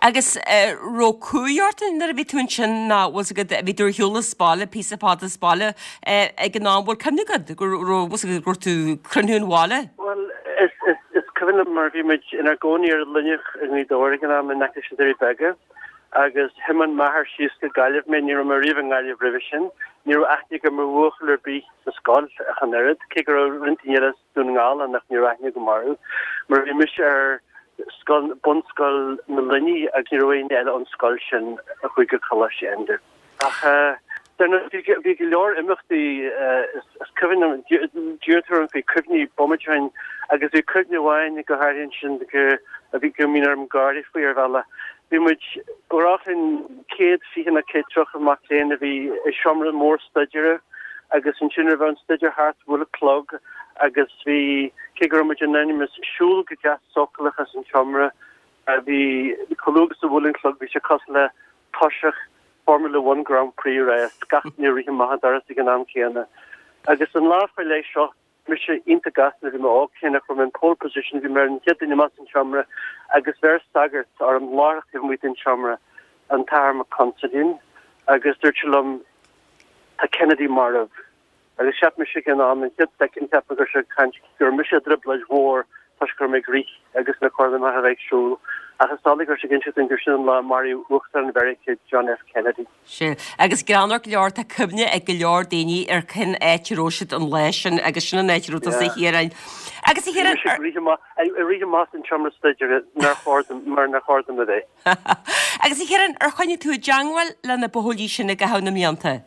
Agus raibh cumhaidh ort nuair a bhí tú ansin nó bhfuil 's agat, bhí tú ar shiúl as baile, píosa fada as baile ag an am, bhfuil cuimhne agat go raibh, bhfuil 's agat, go raibh tú ag cruinniú an bhaile? Bhuel, is, is, is cuimhin liom mar bhí muid inár gcónaí ar an Luineach i nGaoth Dobhair ag an am in aice leis na Doirí Beaga agus thiomáin m'athair síos go Gaillimh mé, ní raibh mé riamh i nGaillimh roimhe sin, ní raibh aithne agam ar bhuachaill ar bith sa scoil ach an oiread, cé go raibh roinnt daoine eile as Dún na nGall ann ach ní raibh aithne agam orthu mar bhí mise ar scoil, bunscoil na Luiní agus ní raibh éinne eile ón scoil sin a chuaigh go Coláiste Enda. Ach dar ndóigh bhí, bhí go leor imeachtaí, is cuimhin liom, d'iarr tú orm faoi cuimhní bomaite ó shin agus bhí cuimhne amháin go háirithe ansin go, a bhí, go mbíonn orm gáire faoi ar bhealach. Bhí muid, ba ghnách linn céad fiche nó céad tríocha mac léinn a bhí i seomra mór staidéir agus ansin nuair a bheadh an staidéar thart bhuail an clog agus bhí, cé go raibh muid in ainm is siúl go deas sócúlach as an tseomra, bhí, chomh luath agus a bhuail an clog bhí sé cosúil le toiseach Formula One Grand Prix race, gach duine ag rith amach an doras ag an am céanna. Agus an lá faoi leith seo, mise iontach gasta nuair a bhí mé óg, cé nach raibh mé in pole position, bhí mé ar an chéad duine amach as an seomra agus bheir sagart orm láithreach taobh amuigh den seomra, an tAthair Mac Consaidín, agus dúirt sé liom, Tá Kennedy marbh. Agus cheap mise ag an am, an chéad soicind, cheap mé go raibh sé ag caint go raibh mise i dtrioblóid mhór toisc go raibh mé ag rith agus nár chóir dom ach a bheith ag siúl. Ach is amhlaidh go raibh sé ag inseacht dúinn gur sin an lá a maraíodh Uachtarán Mheiriceá, John F. Kennedy. Sea. Agus greannmhar go leor, tá cuimhne ag go leor daoine ar cén áit a raibh siad an lá sin agus sin an áit a raibh tusa a Chiaráin. Agus a Bhí Chiaráin, mise ag rith amach, ag rith amach as an tseomra staidéir nár chóir dom, mar nár chóir dom a bheith. Agus a Chiaráin, ar choinnigh tú i dteangmháil le na buachaillí sin i gcaitheamh na mblianta?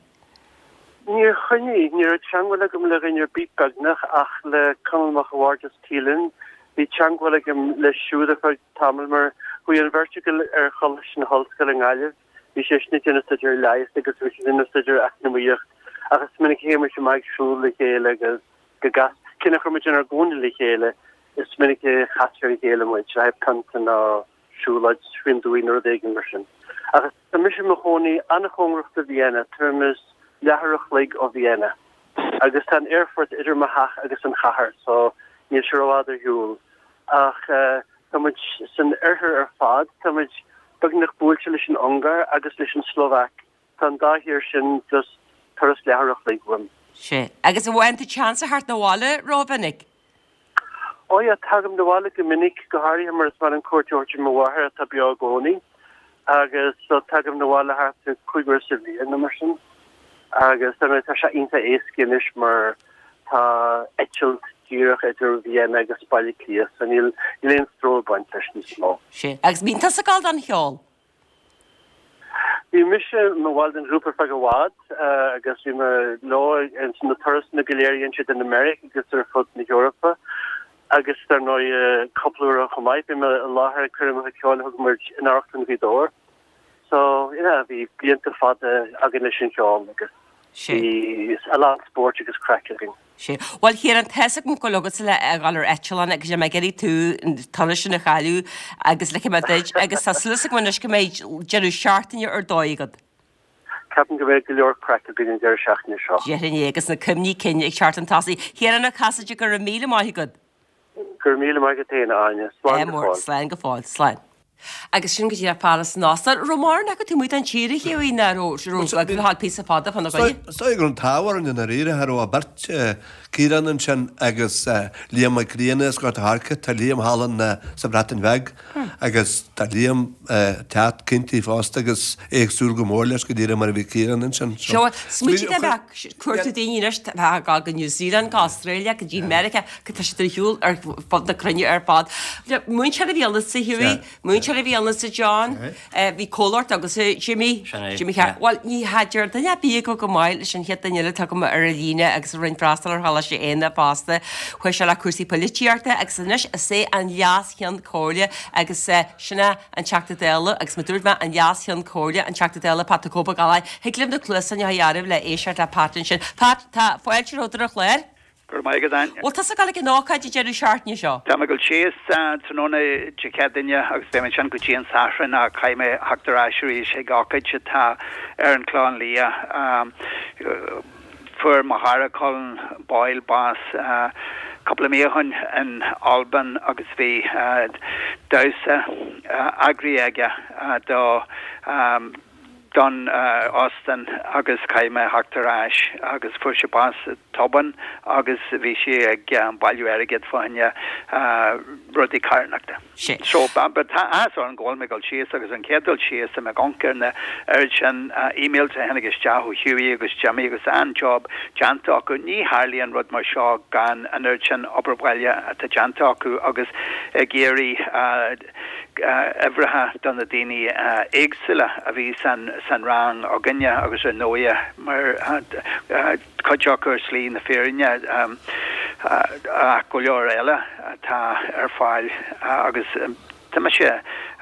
Níor choinnigh. Ní raibh teangmháil agam le dhuine ar bith beagnach ach le Conall Mac a' Bhaird as Teelin. Bhí teangmháil agam leis siúd ar feadh tamaill mar chuaigh an bheirt againn ar Choláiste na hOllscoile i nGaillimh. Bhí seisean ag déanamh staidéar leighis agus bhí mise ag déanamh staidéar eacnamaíocht ach is minic a théadh muid amach ag siúl le chéile agus go gcas, cé nach raibh muid inár gcónaí le chéile, is minic a chas ar a chéile muid le haghaidh pionta nó siúlóid faoin dtuaith nó rud éigin mar sin. Ach tá mise i mo chónaí an-chóngarach do Vienna, tuairim is leathuair a chloig ó Vienna. Agus tá an aerfort idir mo theach agus an chathair, so níl sé rófhada ar shiúl. Ach tá muid san oirthear ar fad, tá muid beagnach buailte leis an Ungáir agus leis an tSlóvaic. Tá an dá thír sin just turas leathuair a chloig uaim. Sea. Agus an bhfaigheann tú chance a theacht 'na bhaile rómhinic? Ó yeah, tagaim 'na bhaile go minic, go háirithe mar is maith liom cuairt a thabhairt ar mo mháthair atá beo i gcónaí. Agus so tagaim 'na bhaile thart ar cúig uair sa bhliain nó mar sin. Agus dar ndóigh tá sé iontach éasca anois mar tá eitilt díreach idir Vienna agus Baile Átha Cliath so níl níl aon stró ag baint leis níos mó. Sea. Agus bíonn tusa ag gabháil don cheol? Bhí mise i mo bhall den ghrúpa ar feadh i bhfad agus bhí mé leo ins na turasanna go léir a dhein siad in America agus ar fud na hEorpa agus dar ndóigh cúpla uair chomh maith bhí mé i láthair ag coirmeacha ceoil a thug muid in Amharclann Ghaoth Dobhair. So yeah bhí blianta fada againn leis an cheol agus bhí a lán spóirt agus craic againn. Sea. Bhuel, Chiarán, tá's agam go bhfuil agatsa le a dhul ar eitleán agus níl mé ag iarraidh tú an turas sin a chailleadh agus ligfidh mé duit agus tá súil agam anois go mbeidh deireadh seachtaine ar dóigh agat. Ceapaim go mbeidh go leor craic againn an deireadh seachtaine seo. Déarfainn é agus na cuimhní cinn ag teacht chun tosaigh. Chiarán Ó Casaide, go raibh míle maith agat. Go raibh míle maith agat féin, a Áine. Slán go fóill. Slán go fóill. Slán. Agus sin go díreach fear as an Ostair. Raibh mórán acu taobh amuigh den tír a Hughie ná raibh raibh ag fáil píosa fada fána gcoinne? Is dóigh go raibh an t-ádh orainn i ndáiríre, cha raibh ach beirt, Ciarán ansin agus Liam Mac Grianna as Gort a' Choirce. Tá Liam thall in sa Bhreatain Bheag agus tá Liam ag teacht cinnte fosta agus é ag súil go mór leis go díreach mar a bhí Ciarán ansin. Seo, smaointigh dá mbeadh cuartú daoine anois a bheadh ag dul go New Zealand, go Australia, go dtí Meiriceá, go tá siad ar shiúl ar fud na cruinne ar fad. Múinteoir a bhí ionatsa, Hughie, múinteoir a bhí ionatsa, John, bhí comhlacht agatsa, Jimmy, Jimmy Chearúil. Bhuel, ní haidir duine ar bith acu go maith leis an chéad duine eile atá agam ar an líne agus a rinne freastal ar Choláiste Éanna fosta. Chuaigh sé le cúrsaí poilitíochta agus anois is é an Leas-Cheann Comhairle agus sin é an Teachta Dála agus mar dúirt mé an Leas-Cheann Comhairle, an Teachta Dála Pat the Cope Ó Gallchóir. Thig libh na cluasáin a chur le éisteacht le Pat ansin. Pat, tá fáilte romhat ar an chlár. Go raibh maith agat, Áine. Bhfuil tusa ag dul ag an ócáid an deireadh seachtaine seo? Tá mé ag dul síos tráthnóna Dé Céadaoine agus beidh mé ansin go dtí an Satharn ach caithfidh mé theacht ar ais arís ag ócáid atá ar an Chlochán Liath. Fuair mo chara Colin Boyle bás cúpla mí ó shin in Albain agus bhí damhsa eagraithe aige do don óstán agus caithfidh mé theacht ar ais agus fuair sé bás tobann agus bhí sé ag bailiú airgid fá choinne rudaí carthanachta. So but tá áthas orm go bhfuil mé ag dul síos agus an chéad dul síos tá mé ag amharc ar na oiread sin emails a tháinig isteach ó Hughie agus Jimmy agus an-job déanta acu. Ní tharlaíonn rud mar seo gan an oiread sin obair bhaile atá déanta acu agus ag iarraidh uimhreacha do na daoine éagsúla a bhí san rang againne agus ar ndóighe mar cuid acu ar shlí na fírinne ach go leor eile atá ar fáil agus tá mise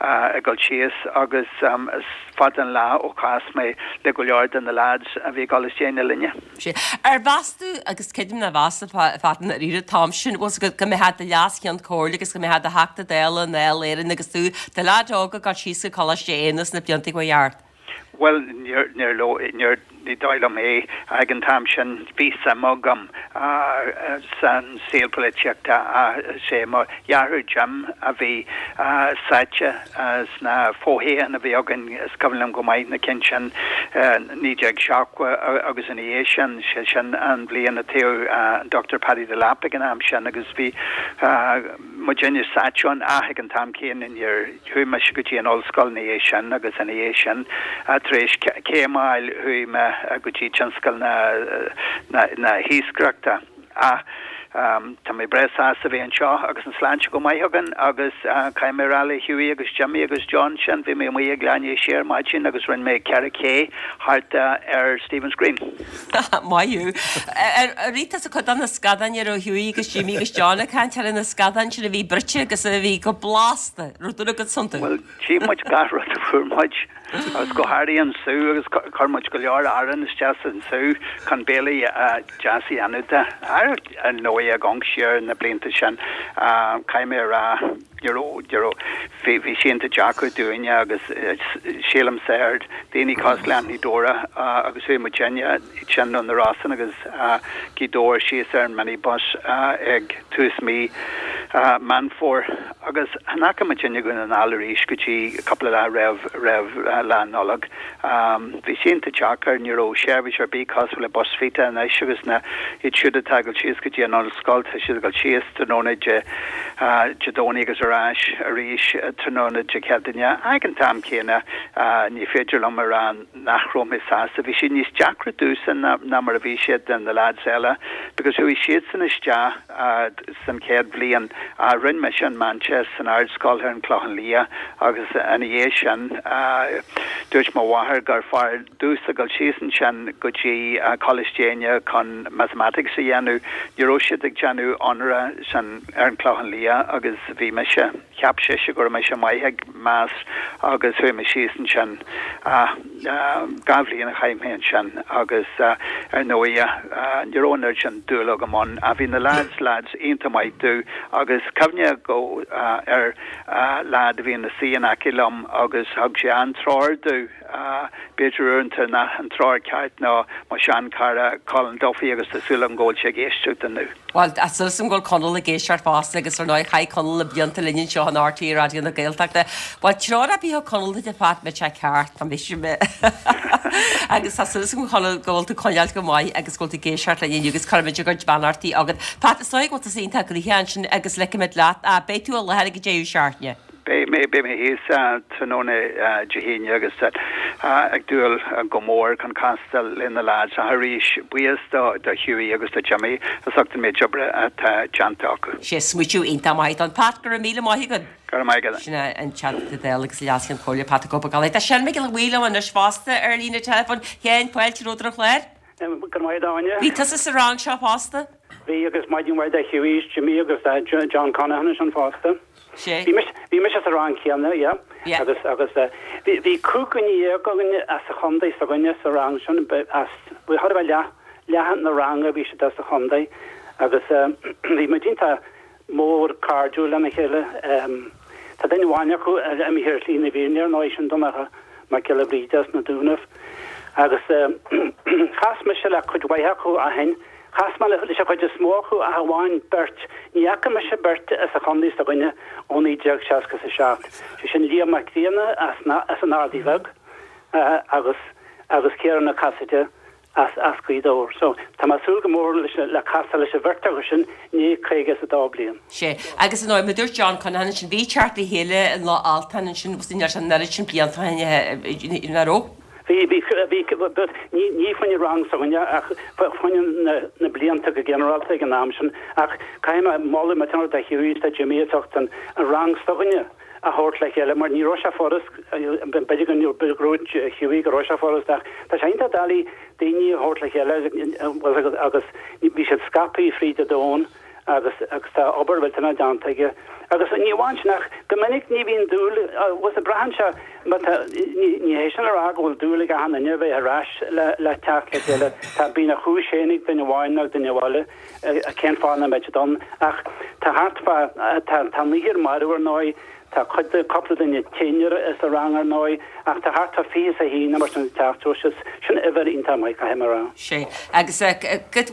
ag dul síos agus is fada an lá ó chas mé le go leor de na lads a bhí i gColáiste Éanna linne. Sea. Ar mheas tú, agus creidim nár mheas a Phat i ndáiríre an t-am sin, bhfuil 's agat, go mbeifeá i do Leas-Cheann Comhairle agus go mbeifeá i do Theachta Dála i nDáil Éireann agus tú, do leaid óg ag dul síos go Coláiste Éanna sna blianta a chuaigh thart? Bhuel, níor, níor, níor, ní dóigh liom é. Ag an t-am sin bhí suim agam san saol polaitíochta ach is é mo dheartháir Jim a bhí sáite sna fothoghcháin a bhí againn, is cuimhin liom go maith na cinn sin, naoi déag seachtó agus ina dhiaidh sin, sé sin an bhliain a toghadh an Dochtúir Paddy Delap ag an am sin agus bhí muidinne sáite ann ach ag an t-am céanna níor chuaigh mise go dtí an ollscoil ina dhiaidh sin agus ina dhiaidh sin tar éis céim a fháil chuaigh mé go dtí tionscal na na hiascaireachta ach tá mé breá sásta bheith anseo agus an sláinte go maith againn agus caithfidh mé a rá le Hughie agus Jimmy agus John sin bhí mé amuigh ag leath i ndiaidh a sé ar maidin agus rinne mé ceithre K thart ar Stephen's Green. Maith thú. Ar ith tusa cuid de na scadáin a raibh Hughie agus Jimmy agus John ag caint ar na scadáin sin a bhí bruite agus a bhí go blasta, raibh dúil agat iontu? Bhuel, d'ith muid gach rud a fuair muid agus go háirithe an sú agus chuir muid go leor arán isteach san sú chun béile deas a dhéanamh de. Ar ndóigh ag amharc siar na blianta sin caithfidh mé a rá ní raibh, ní raibh, bhí, bhí sé iontach deacair dúinne agus sílimse ar daoine cosúil le Anthony Dora agus chuaigh muidinne, iad sin ó na Rosann agus Gaoth Dobhair síos ar an minibus ag tús mí Meán Fómhair agus chan fhaca muid i nDún na nGall arís go dtí cúpla lá roimh roimh Lá Nollag. Bhí sé iontach deacair, ní raibh seirbhís ar bith cosúil le Bus Vita anois agus na iad siúd atá ag dul síos go dtí an ollscoil, tá siad ag dul síos tráthnóna Dé Dé Domhnaigh agus ar ais arís tráthnóna Dé Céadaoine. Ag an t-am céanna ní féidir liom a rá nach raibh mé sásta. Bhí sé níos deacra domhsa ná ná mar a bhí sé do na lads eile because chuaigh siadsan isteach san chéad bhliain. Rinne mise an Meánteist san Ardscoil ar an Clochán Liath agus ina dhiaidh sin dúirt mo mháthair gur fearr domhsa dul síos ansin go dtí Coláiste Éinne chun Mathematics a dhéanamh. Ní raibh siad ag déanamh onóra san ar an Clochán Liath agus bhí mise, cheap sise go raibh mise maith ag Maths agus chuaigh mé síos ansin. Dhá bhliain a chaith mé ansin agus ar ndóigh ní raibh an oiread sin dúil agam ann ach bhí na lads, lads iontach maith domh agus cuimhne go ar lad a bhí ina suí in aice liom agus thug sé an-treoir domh, b'fhéidir uaireanta nach an treoir ceart ná mo sheanchara Colin Duffy agus tá súil agam go bhfuil sé ag éisteacht inniu. Bhuel, tá súil agam go bhfuil Conall ag éisteacht fosta agus ar ndóigh chaith Conall na blianta linn anseo in RTÉ Raidió na Gaeltachta. Bhuel, treoir ar bith a thug Conall duit a Phat, beidh sé ceart, tá mise me. Agus tá súil agam Conall go bhfuil tú coinneáilte go maith agus go bhfuil tú ag éisteacht linn inniu agus cuirfimid ár gcuid beannachtaí agat. Pat, is dóigh go bhfuil tusa iontach gnoitheach ansin agus ligfimid leat. Beidh tú i láthair ag an deireadh seachtaine. Beidh mé beidh mé thíos tráthnóna Dé hAoine agus ag dúil go mór chun castáil le na lads ach arís buíochas do do Hughie agus do Jimmy as ucht an méid oibre atá déanta acu. Sé smaoitiú iontach maith don Pat, go raibh míle maith agat. Go raibh maith agat. Sin é an Teachta Dála agus Leas-Cheann Comhairle Pat the Cope Ó Gallchóir. Tá Seán Mac Giolla Bhuí liom anois fosta ar líne teileafóin. Sheáin, fáilte romhat ar an chlár. Go raibh maith agat Áine. Bhí tusa sa rang seo fosta? Bhí agus maidin mhaith do Hughie, Jimmy agus John Conaghan ansin fosta. Sé. Bhí mise bhí mise sa rang céanna, yeah. Yeah. Agus agus bhí bhí cúig dhuine dhéag againn as an chontae s'againne sa rang sin as bhí chóir a bheith leath leath na ranga bhí siad as an chontae agus bhí muid iontach mór cairdiúil lena chéile. Tá duine amháin acu imithe ar shlí na fírinne ar ndóigh sin Donncha Mac Giolla Bhríde as na Dúnaibh. Agus chas mise le cuid mhaith acu ó shin, chas mé leis an chuid is mó acu ach amháin beirt, ní fhaca mise beirt as an chontae s'againne ó naoi déag seasca is a seacht, sé sin Liam Mac Grianna as as an Ardaidh Bheag agus agus Ciarán Ó Casaide as as Gaoth Dobhair. So tá mé ag súil go mór leis le casadh leis an bheirt acu sin i ndiaidh caoga is a dó bliain. Sé. Agus ar ndóigh, mar a dúirt John Conaghan ansin, bhí teacht le chéile i Loch Altan ansin, bhí an oiread sin blianta ó shin, nach raibh? Bhí, bhí, bhí, but ní, ní fá choinne rang s'againne ach fá choinne na, na blianta go ginearálta ag an am sin ach caithfidh mé moladh millteanach do Hughie is do Jimmy as ucht an, an rang s'againne a thabhairt le chéile mar ní raibh sé furast, b'fhéidir go ndúirt Hughie go raibh sé furast ach tá sé iontach doiligh daoine a thabhairt le chéile agus, agus bhí siad scaipthe fríd an domhan agus agus tá obair mhillteanach déanta aige. Agus ní amháin sin ach go minic ní bhíonn dúil, bhuel braitheann sé má tá, ní ní hé sin a rá go bhfuil dúil ag achan duine a bheith ar ais le le teacht le chéile, tá bíonn a chúis féin ag duine amháin nó ag duine eile cén fáth nach mbeidh siad ann ach tá thart fá tá tá naonúr marbh ar ndóigh, Tá cuid de, cúpla duine tinn sa rang ar ndóigh, ach tá thart fá fiche is a haon nó mar sin ag teacht so sin uimhir iontach maith, caithfidh mé a rá. Sé. Agus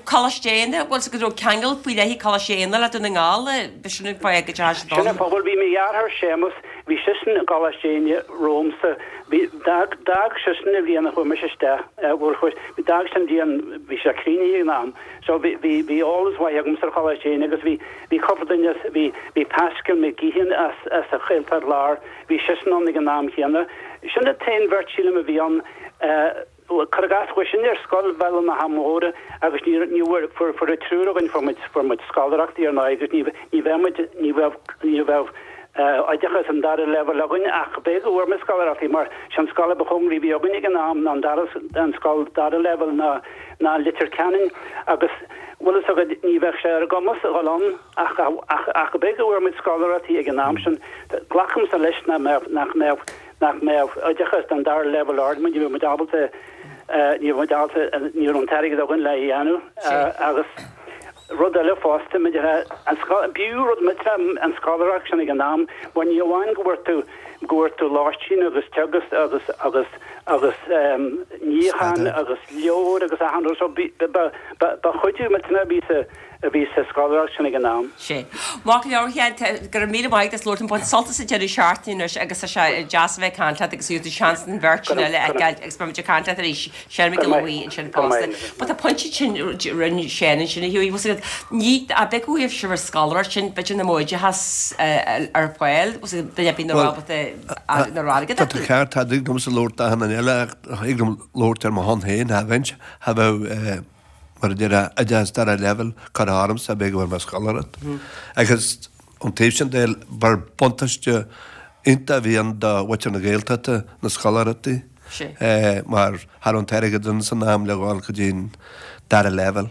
Coláiste Éanna, bhfuil 's go raibh ceangal faoi leith ag Coláiste Éanna le Dún na nGall, b'shin an fáth go dteachaigh siad Sin ann. an fáth, bhuel bhí mo dheartháir Séamus, bhí seisean i gColáiste Éanna romhamsa, bhí, d'fhág, d'fhág seisean an bhliain a chuaigh mise isteach, bhuel chuaigh, d'fhág sé an bhliain, bhí sé críochnaithe ag an am, so bhí, bhí, bhí eolas mhaith agamsa ar Choláiste Éanna agus bhí, Bhí cúpla duine as, bhí, bhí Pascal McGeehan as, as an Ghaeltacht Láir, bhí seisean ann ag an am chéanna. Sin an t-aon bheirt sílim a bhí ann. Cuir i gcás, chuaigh sinne ar scoil Bhéal na hAmhora agus ní, ní bhfuair, fuair, fuair an triúr againn, fuair muid, fuair muid scoláireachtaí ar ndóigh agus ní, ní bheadh muid, ní bheadh, ní bheadh oideachas an dara leibhéal againn ach b'é go bhfuair muid scoláireachtaí mar sin an scoil a ba chóngaraí a bhí againn ag an am ná an dara, an scoil dara leibhéal ná, ná Leitir Ceanainn agus bhfuil fhios agat ní bheadh sé ar a gcumas a dhul ann ach ach ach b'é go bhfuair muid scoláireachtaí ag an am sin. Glacaimse leis nach mbeadh nach mbeadh nach mbeadh oideachas den dara leibhéal ard ní bheadh muid ábalta ní bheadh muid ábalta ní raibh an t-airgead againn le dhéanamh agus rud eile fosta maidir le an b'fhiú rud millteanach an scoláireacht sin ag an am mar ní amháin go bhfuair tú go bhfuair tú lóistín agus teagasc agus agus agus níochán agus leabhair agus achan rud so ba ba chuidiú millteanach a bhí sa a bhí sa scoláireacht sin ag an am. Sé. Maith go leor, a Sheáin, go raibh míle maith agat as labhairt liom. Bain sult as an deireadh seachtaine anois agus tá sé deas a bheith ag caint leat agus tú seans an bheirt sin eile a fheiceáil agus beidh muid ag caint leat arís. Seán Mac Giolla Bhuí ansin fosta. But tá pointe sin rinne Seán ansin a Hughie, bhfuil ní a bheith go bhfuil sibh ar scoláireacht sin b'fhéidir nach mbeadh oideachas ar fáil, duine ar bith nach raibh ábalta nach raibh airgead Tá tú acu. ceart, tá thig liomsa labhairt d'achan duine eile ach thig liom labhairt ar mo shon féin, cha bheinn, cha bheadh mar a déarfá, oideachas dara leibhéal curtha ormsa b'fhéidir go bhfuair mé scoláireacht. Agus ón taobh sin de, ba buntáiste iontach a bhí ann do mhuintir na Gaeltachta na scoláireachtaí mar cha raibh an t-airgead ann san am le dhul go dtí an dara leibhéal.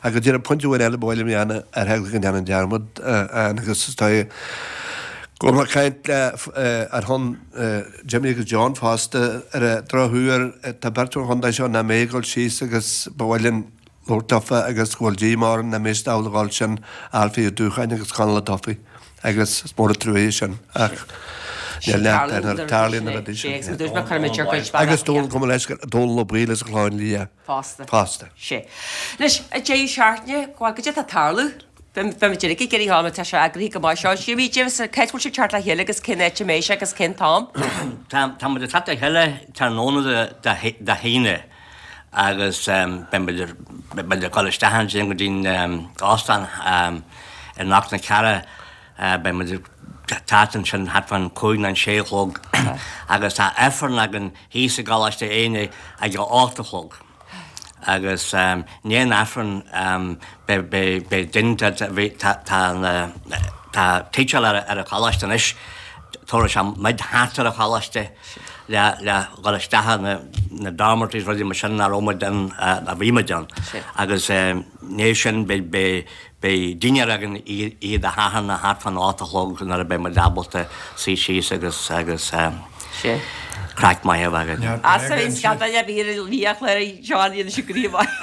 Ach go díreach pointe amháin eile ba mhaith liom a dhéanamh ar eagla go ndéanfainn dearmad ann agus is dóigh go bhfuil mé ag caint le ar shon Jimmy agus John fosta ar an drochuair tá beirt ón chontae seo nach mbeidh ag dul síos agus ba mhaith linn labhairt leofa agus go bhfuil díomá orainn nach mbeidh siad ábalta a dhul sin Ailfí Ó Dúcháin agus Conall Ó Dufaigh agus is mór an trua é sin ach níl neart ar na tarlaíonn na rudaí sin. Agus Dónal gabh mo leithscéal Dónal Ó Baoill as an Chlochán Liath fosta. Fosta. Sé. Anois, an deireadh seachtaine, go bhfuil, goidé atá ag tarlú? Beidh muid uilig ag iarraidh a fháil, tá sé eagraithe go maith seo. Jimmy, James, cá háit a bhfuil sibh ag teacht le chéile agus cén áit a mbeidh sé agus cén t-am? Tá muid ag teacht le chéile tráthnóna Dé hAoine agus beidh muid ag dul isteach ansin go dtí an óstán i gCnoc na Cearra. Beidh muid ag teacht ansin thart fán cúig nó an sé a chlog agus tá Aifreann againn thíos i gColáiste Éinne ag a hocht a chlog. Agus i ndiaidh an Aifrinn beidh duine tá tá teaictic ar an choláiste anois, tabharfaidh sé muid thart ar an choláiste le le dhul isteach na na dormitories rudaí mar sin nach raibh muid ann a bhí muid ann. Agus i ndiaidh sin beidh beidh Beidh dinnéar againn oíche Dé Sathairn thart fán ocht a chlog nuair a beidh muid ábalta suí síos agus agus craic maith a bheith againn. As a bhíonn scata de bhír i liathchléir John dhéanann sé gníomh maith.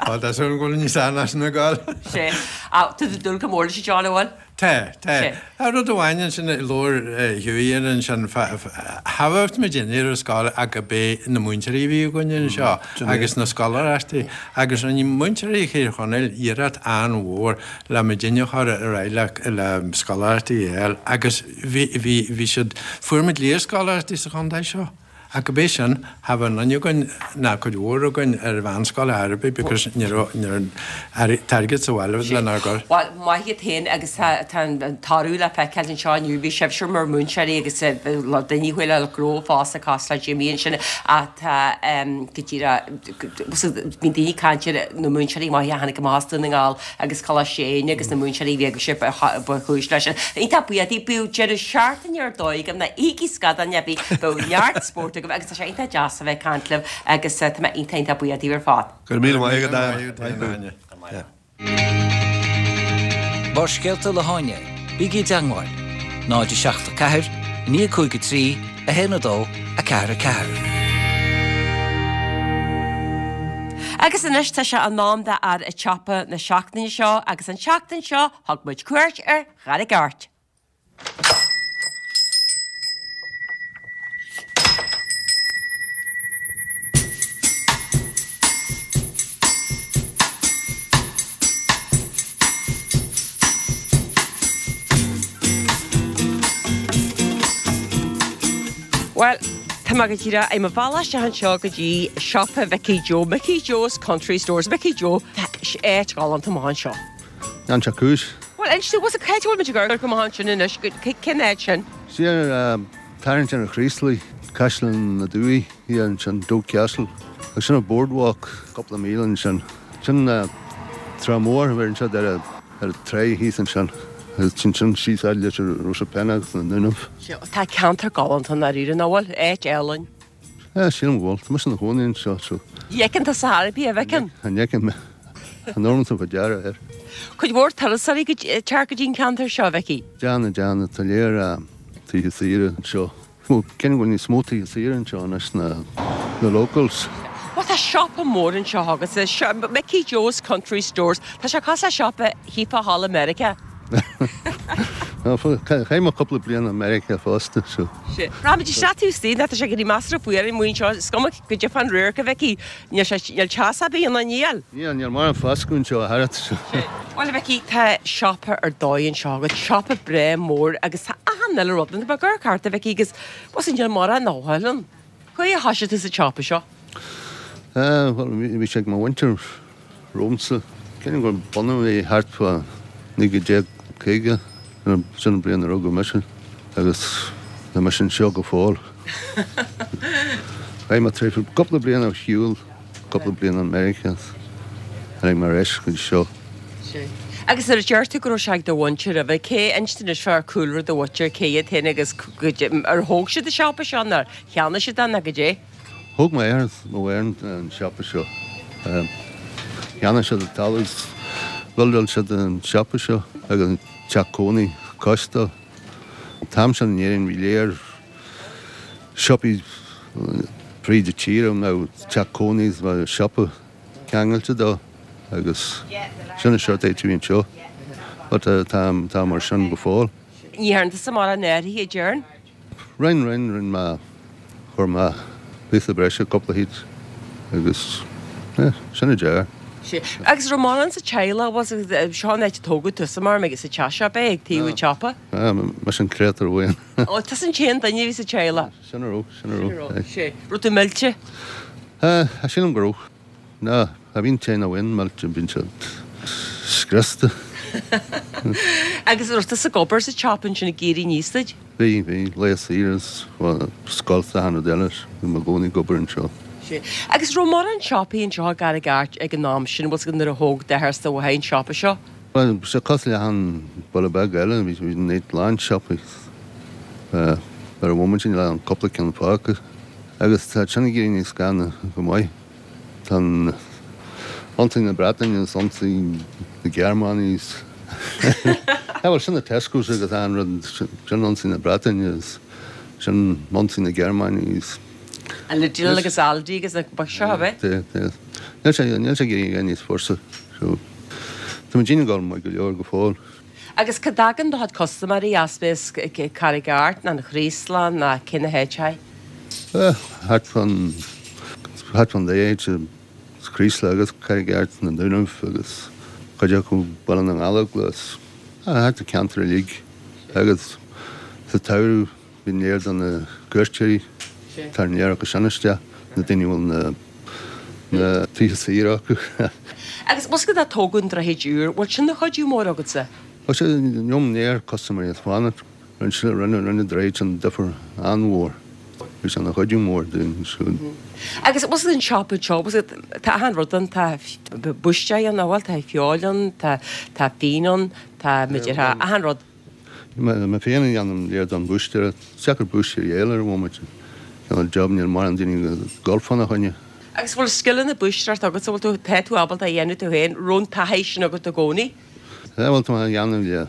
Á tá súil agam go bhfuil níos fearr ná sin ag gabháil. Sé. Tá tú ag dúil go mór leis John, an bhfuil? Tá, tá. Tá rud amháin ansin a labhair Hughie air ansin, cha bheadh muid ar scoil ach gurb é na múinteoirí a bhí againn anseo agus na scoláireachtaí agus rinne múinteoirí Thír Chonaill iarracht an-mhór le muidinne a chur ar aghaidh le le scoláireachtaí a fháil agus bhí bhí bhí siad, fuair muid léarscoláireachtaí sa chontae seo. Ach gurb é sin, cha bheadh aon duine againn, ná cuid mhór againn, ar mheánscoil ar bith because ní raibh an t-airgead sa bhaile lenár gcur. Bhuel, maith iad féin agus tá an toradh le feiceáil anseo inniu. Bhí sibhse mar mhúinteoirí agus daoine a chuaigh le gnó fosta cosúil le Jimmy ansin ach tá go díreach, bíonn daoine ag caint ar na múinteoirí maithe a tháinig amach as Dún na nGall agus Coláiste Éinne agus na múinteoirí a bhí agaibhse ba chúis leis sin. Iontach buíoch daoibh. Bíodh deireadh seachtaine ar dóigh agaibh, ná íocaigí scadán ar bith, bíodh neart spóirt agaibh agus tá sé iontach deas a bheith ag caint libh agus tá mé iontach iontach buíoch daoibh ar fad. Go raibh míle maith agat, Áine. Barrscéalta le hÁine, bígí i dteangmháil, náid a seacht a ceathair, naoi cúig a trí, a haon a dó, a ceathair a ceathair. Agus anois tá sé in am do Fhear an tSiopa na seachtaine seo agus an tseachtain seo thug muid cuairt ar Charraig Airt. Bhuel, tá mé go díreach i mo bhealach isteach anseo go dtí siopa Mhicí Joe, Mickey Joe's Country Stores. Mickey Joe, tá áit ghalánta amach anseo. An seo cúis. Bhuel, inis dom, what's cá háit a bhfuil muid ag amharc amach ansin anois, cén áit sin? Siar tarraingt ar an Chraoslaigh, Caisleán na Dumhaí, thiar ansin, Doagh Castle. Agus sin an boardwalk, cúpla míle ansin. Sin Trá Mhór, bheireann siad ar an trá thíos ansin. Agus ansin síos fhad leis an Ros Penna agus na Dúnaibh. Tá ceantar galánta i ndáiríre, nach bhfuil? Áit álainn. Yeah, sílim go bhfuil. Tá mise ina chónaí anseo, so. Ní fheiceann tusa ar bith, a bhfeiceann? An bhfeiceann mé. An ormsa faoi deara air. Cuid mhór turasóirí ag teacht go dtí an ceantar seo, a Mhicí? Déanann, déanann. Tá léir tithe saoire anseo. Bhuel, cén go bhfuil níos mó tithe saoire anseo anois ná na locals. Bhuel, tá siopa mór anseo agus Mickey Joe's Country Stores. Tá sé cosúil le siopa shíofá thall i Meiriceá. Chaith mé cúpla bliain i Meiriceá fosta, so. Sea. Rachaimid isteach taobh istigh, tá sé ag éirí measartha fuar amuigh anseo, is cuma goidé fán radharc, a Mhicí, níl sé, níl teas ar bith ann, níl. Níl, níl mórán foscadh anseo ach oiread, so. Sea. Bhuel, a Mhicí, tá siopa ar dóigh anseo agat, siopa breá mór agus tá achan uile rud ann. Tá mé ag amharc thart, a Mhicí, agus bhuel, níl mórán nach bhfuil ann. Cá huair a thoisigh tú sa tsiopa seo? Bhuel, bhí sé ag mo mhuintir romhamsa. Creidim gur bunaíodh é thart fá naoi déag caoga, sin an bliain a rugadh mise agus tá mise anseo go fóill. Chaith mé tréimhse cúpla bliain ar shiúl, cúpla bliain i Meiriceá, tháinig mé ar ais go dtí seo. Agus nuair a deir tú go raibh sé ag do mhuintir roimhe, cé, inis dúinn anois fá chúlra do mhuintir, cé iad féin agus ar thóg siad an siopa seo nó ar cheannaigh siad é nó goidé? Thóg m'athair is mo mháthair an siopa seo. Cheannaigh siad an talamh is bhuildeáil siad an siopa seo agus an teach cónaí cois dó. An t-am sin in Éirinn bhí léir siopaí fríd an tír a mbeadh teach cónaí is bheadh siopa ceangailte dó agus sin an seort áit a bhí anseo. But tá tá mar sin go fóill. Ní dhearna tusa mórán athraithe, a déarfainn. Rinn, rinn, rinn mé, chuir mé píosa breise cúpla háit agus eh, sin an deireadh. Sea. Agus raibh mórán sa teaghlach, was it, seo an áit a tógadh tusa mar ag sa teach seo, ab é, ag taobh an tsiopa? Ah, mise an créatúr amháin. Ó, tusa an t-aon duine a bhí sa teaghlach? Sin a raibh, sin a raibh. Sin a raibh, sea. Raibh tú millte? Eh, sílim go raibh. Ná, cha bhíonn t-aon amháin millte, bíonn siad scriosta. Agus raibh tusa ag obair sa tsiopa ansin ag éirí aníos duit? Bhí, bhí, laetha saoire is scoil is achan rud eile, bhí mé i gcónaí ag obair anseo. Sea. Agus raibh mórán siopaí anseo i gCarraig Airt ag an am sin, bhfuil 's agat nuair a thóg d'athair is do mháthair an siopa seo? Bhuel, bhí sé cosúil le achan baile beag eile, bhí bhí an áit lán siopaí. Ar an bhomaite níl ach cúpla ceann fágtha. Agus tá sin ag éirí níos gainne go maith. Tá an ionsaí na Breataine is ionsaí na Gearmáine is bhuel sin na Tescos agus an rud sin ionsaí na Breataine is sin ionsaí na Gearmáine is An Lidl agus Aldi agus na ba seo ab é? Níl sé níl sé ag éirí níos fusa so tá muid ag dul maith go leor go fóill. Agus cá dtagann do chuid custaiméirí as b'é Carraig Airt ná an Chraoslach ná cé na háiteacha? Thart fán thart fán dá áit, sa Chraoslach agus Carraig Airt, na Dúnaibh agus cuid acu Baile na nGallóglach, thart an ceantar uilig. Agus sa tsamhradh bíonn léir de na cuairteoirí, tagann léir acu sin isteach, na daoine a bhfuil na na tithe saora acu. Agus bhfuil 's agat tógadh an Droichid Úr, bhfuil sin ina chuidiú mór agatsa? Tá sé liom léir custaiméirí ag fanacht. Rinne sé, rinne, rinne an droichead sin difear an-mhór. Bhí sé ina chuidiú mór dúinn siúd. Agus bhfuil 's agat an siopa seo, bhfuil 's agat, tá achan rud ann, tá búistéir ann, bhuel, tá feoil ann, tá, tá fíon ann, tá, b'fhéidir, tá achan rud. Mé, mé féin a dhéanann léir don bhúistéir. Is deacair búistéir a fháil ar an bhomaite. Cineál job, níl mórán daoine ag dul fána choinne. Agus bhfuil scileanna búistéireachta agat, bhfuil tú, tá tú ábalta a dhéanamh tú féin, raibh an taithí sin agat i gcónaí? Bhuel, tá mé á dhéanamh le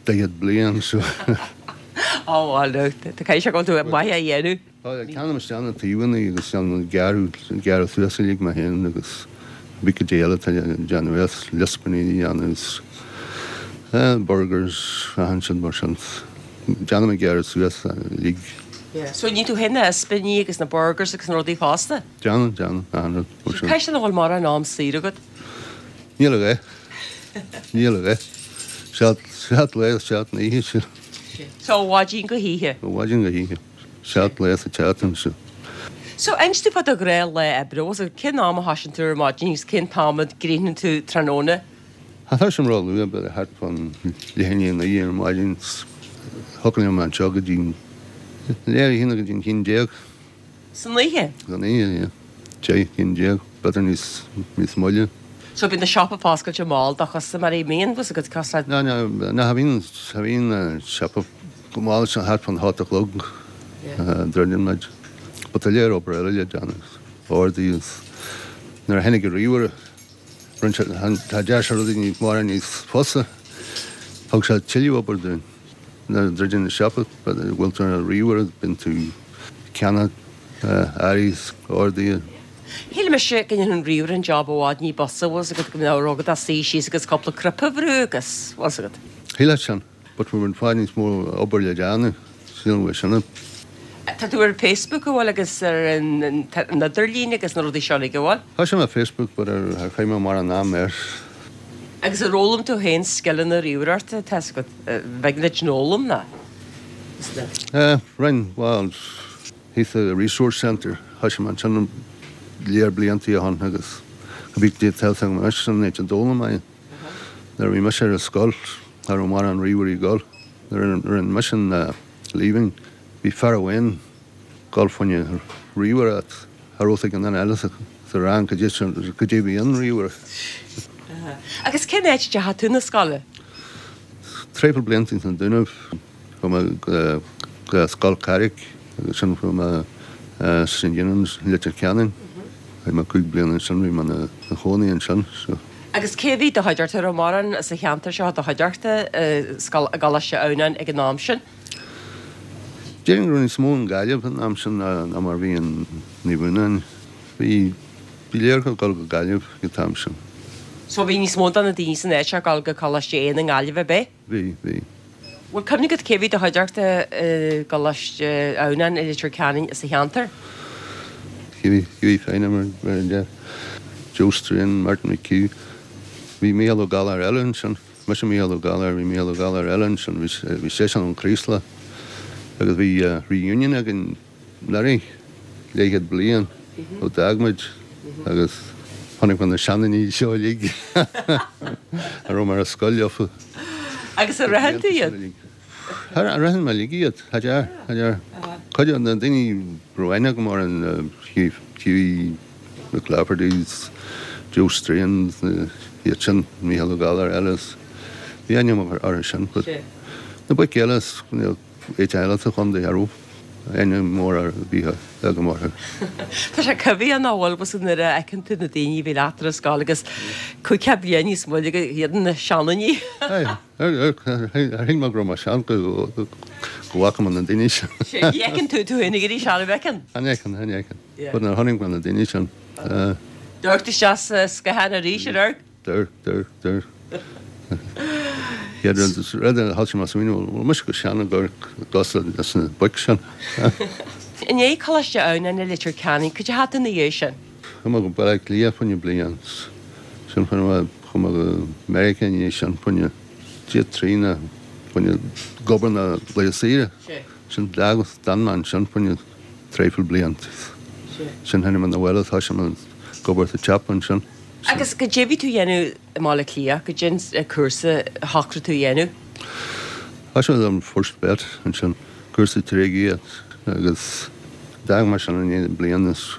daichead bliain so. Ó bhuel, no, tá caithfidh sé go bhfuil tú maith á dhéanamh. Tá, ceannaím isteach na taobhanna agus déanaim gearradh, gearradh suas uilig mé féin agus bíonn cuid eile atá le déanamh as ispíní a dhéanamh is burgers, achan sin mar sin. Déanaim an gearradh suas uilig. Yeah, so ní tú féin na ispíní agus na burgers agus na rudaí fosta? Déanaim, déanaim, achan rud mar sin. Caithfidh sé nach bhfuil mórán am saor agat? Níl a dhath. Níl a dhath. Seacht, seacht lá is seacht n-oíche sin. So ó mhaidin go hoíche? Ó mhaidin go hoíche. Seacht lá sa tseachtain sin. So inis domh fá do ghnáthlá oibre, bhfuil 's agat cén am a thosaíonn tú ar maidin agus cén t-am a gcríochnaíonn tú tráthnóna? Cha thosaím ró-luath, b'fhéidir thart fán leath i ndiaidh a naoi ar maidin. Thiocfadh liom anseo go dtí leath a haon go dtí an haon déag. San oíche? San oíche, yeah. Deich, haon déag, b'fhéidir níos, níos moille. So bíonn an siopa foscailte mall do chustaiméirí, mbíonn, bhfuil 's agat cosúil. No, no, no, cha bhíonn, cha bhíonn an siopa go mall sin thart fán hocht a chlog, druideann muid. But tá léir obair eile le déanamh, orduithe is nuair a tháinig an ríomhaire, rinne sé, tá deir sé rudaí níos mórán níos fusa, thug sé tuilleadh obair dúinn. Nuair a druideann an siopa, bhfuil tú ar an ríomhaire, bíonn tú ag ceannach earraí is orduithe. Shíl mise go ndéanfadh an ríomhaire an job i bhfad ní b'fhusa, bhfuil 's agat, go mbeadh rud agat suí síos agus cúpla cnaipe a bhrú agus, bhfuil 's agat. Shílfeá sin. But bhí i bhfad níos mó obair le déanamh, sílim go sin. Tá tú ar Facebook an bhfuil agus ar an idirlíon agus na rudaí seo uilig an bhfuil? Tá sé ar Facebook but ar ar chaith mé mórán am air. Agus ar fhoghlaim tú féin scileanna ríomhaireachta, tá 's agat, bheag duit an fhoghlaim ná? Eh, rinn, bhuel, thíos sa Resource Centre, thoisigh mé ansin lear blianta ó shin agus go bhí dé tá agam anois sin an áit a d'fhoghlaim mé. Nuair a bhí mise ar an scoil, cha raibh mórán ríomhairí ag dul. Nuair a rinne mise an leaving, bhí fear amháin ag dul fá choinne ríomhaire, cha raibh ag an duine eile sa rang cad é cad é bhí an ríomhaire. Agus cén áit a ndeachaigh tú 'na scoile? Traidhfil blianta sna Dúnaibh, chuaigh mé go go Scoil Carrick agus sin chuaigh mé St Eunan's Leitir Ceanainn. Chaith mé cúig bliana ansin, bhí mé ina chónaí ansin so. Agus cé a bhí i do chuideachta, raibh mórán sa cheantar seo i do chuideachta i scoil, i gColáiste Adhamhnáin ag an am sin? Déarfainn go raibh níos mó i nGaillimh an am sin ná mar a bhí in Naomh Eunáin. Bhí, bhí lear ag dul go Gaillimh ag an t-am sin. So bhí níos mó de na daoine san áit seo ag dul go Coláiste Éanna i nGaillimh ab é? Bhí, bhí. Bhfuil cuimhne agat cé bhí i do chuideachta i gColáiste Adhamhnáin i Leitir Ceanainn sa cheantar? Hughie, Hughie Feine mar a deir Joe Strain, Martin McHugh. Bhí Mícheál Ó Gallchóir eile ansin. Mise Mícheál Ó Gallchóir, bhí Mícheál Ó Gallchóir eile ansin, bhí, bhí seisean ón Chraoslach. Agus bhí reunion againn anuraidh, leathchéad bliain ó d'fhág muid agus chonaic mé na seandaoine seo uilig a raibh mé ar scoil leofa. Agus ar aithin tú iad? Ar aithin mé uilig iad, cha dear, cha dear. Cuid de na daoine a raibh aithne agam orthu, Hughie, Hughie McClafferty's, Joe Strain, iad sin, Mícheál Ó Gallchóir eile, bhí aithne agam orthu sin. But na boic eile, áit eile sa chontae, cha raibh aithne mór ar bith agam orthu. Tá sé cuimhneach nach bhfuil bhfuil nuair a fheiceann tú na daoine a bhí leat ar an scoil agus cúig bliana níos moille go iad na seandaoine. Ar shíl mé go raibh mé sean go go bhfaca mé na daoine sin. Ní fheiceann tú tú féin ag éirí sean, an bhfeiceann? An fheiceann, an fheiceann. But nuair a chonaic mé na daoine sin. D'amharc tú isteach sa scáthán arís, ar amharc? D'amharc, d'amharc, d'amharc. Chéad rud, rud a thosaigh mé ag smaoineamh, bhfuil mise chomh sean ag amharc cosúil leis na boic sin. I ndiaidh Coláiste Adhamhnáin i Leitir Ceanainn, cad é a tharla ina dhiaidh sin? Chuaigh mé go Baile Átha Cliath fá choinne bliain. Sin chuaigh mé, chuaigh mé go Meiriceá ina dhiaidh sin fá choinne dia trí ná fá choinne ag obair na laetha saoire. Sin d'fhág, d'fhan mé ansin fá choinne traidhfil bliain. Sin tháinig mé 'na bhaile, thosaigh mé ag obair sa tsiopa ansin. Agus cad é bhí tú a dhéanamh i mBaile Átha Cliath, cad é an cúrsa a shocraigh tú a dhéanamh? Thosaigh mé an First Vet ansin, cúrsa tréidliachta agus d'fhág mé sin i ndiaidh bliain is.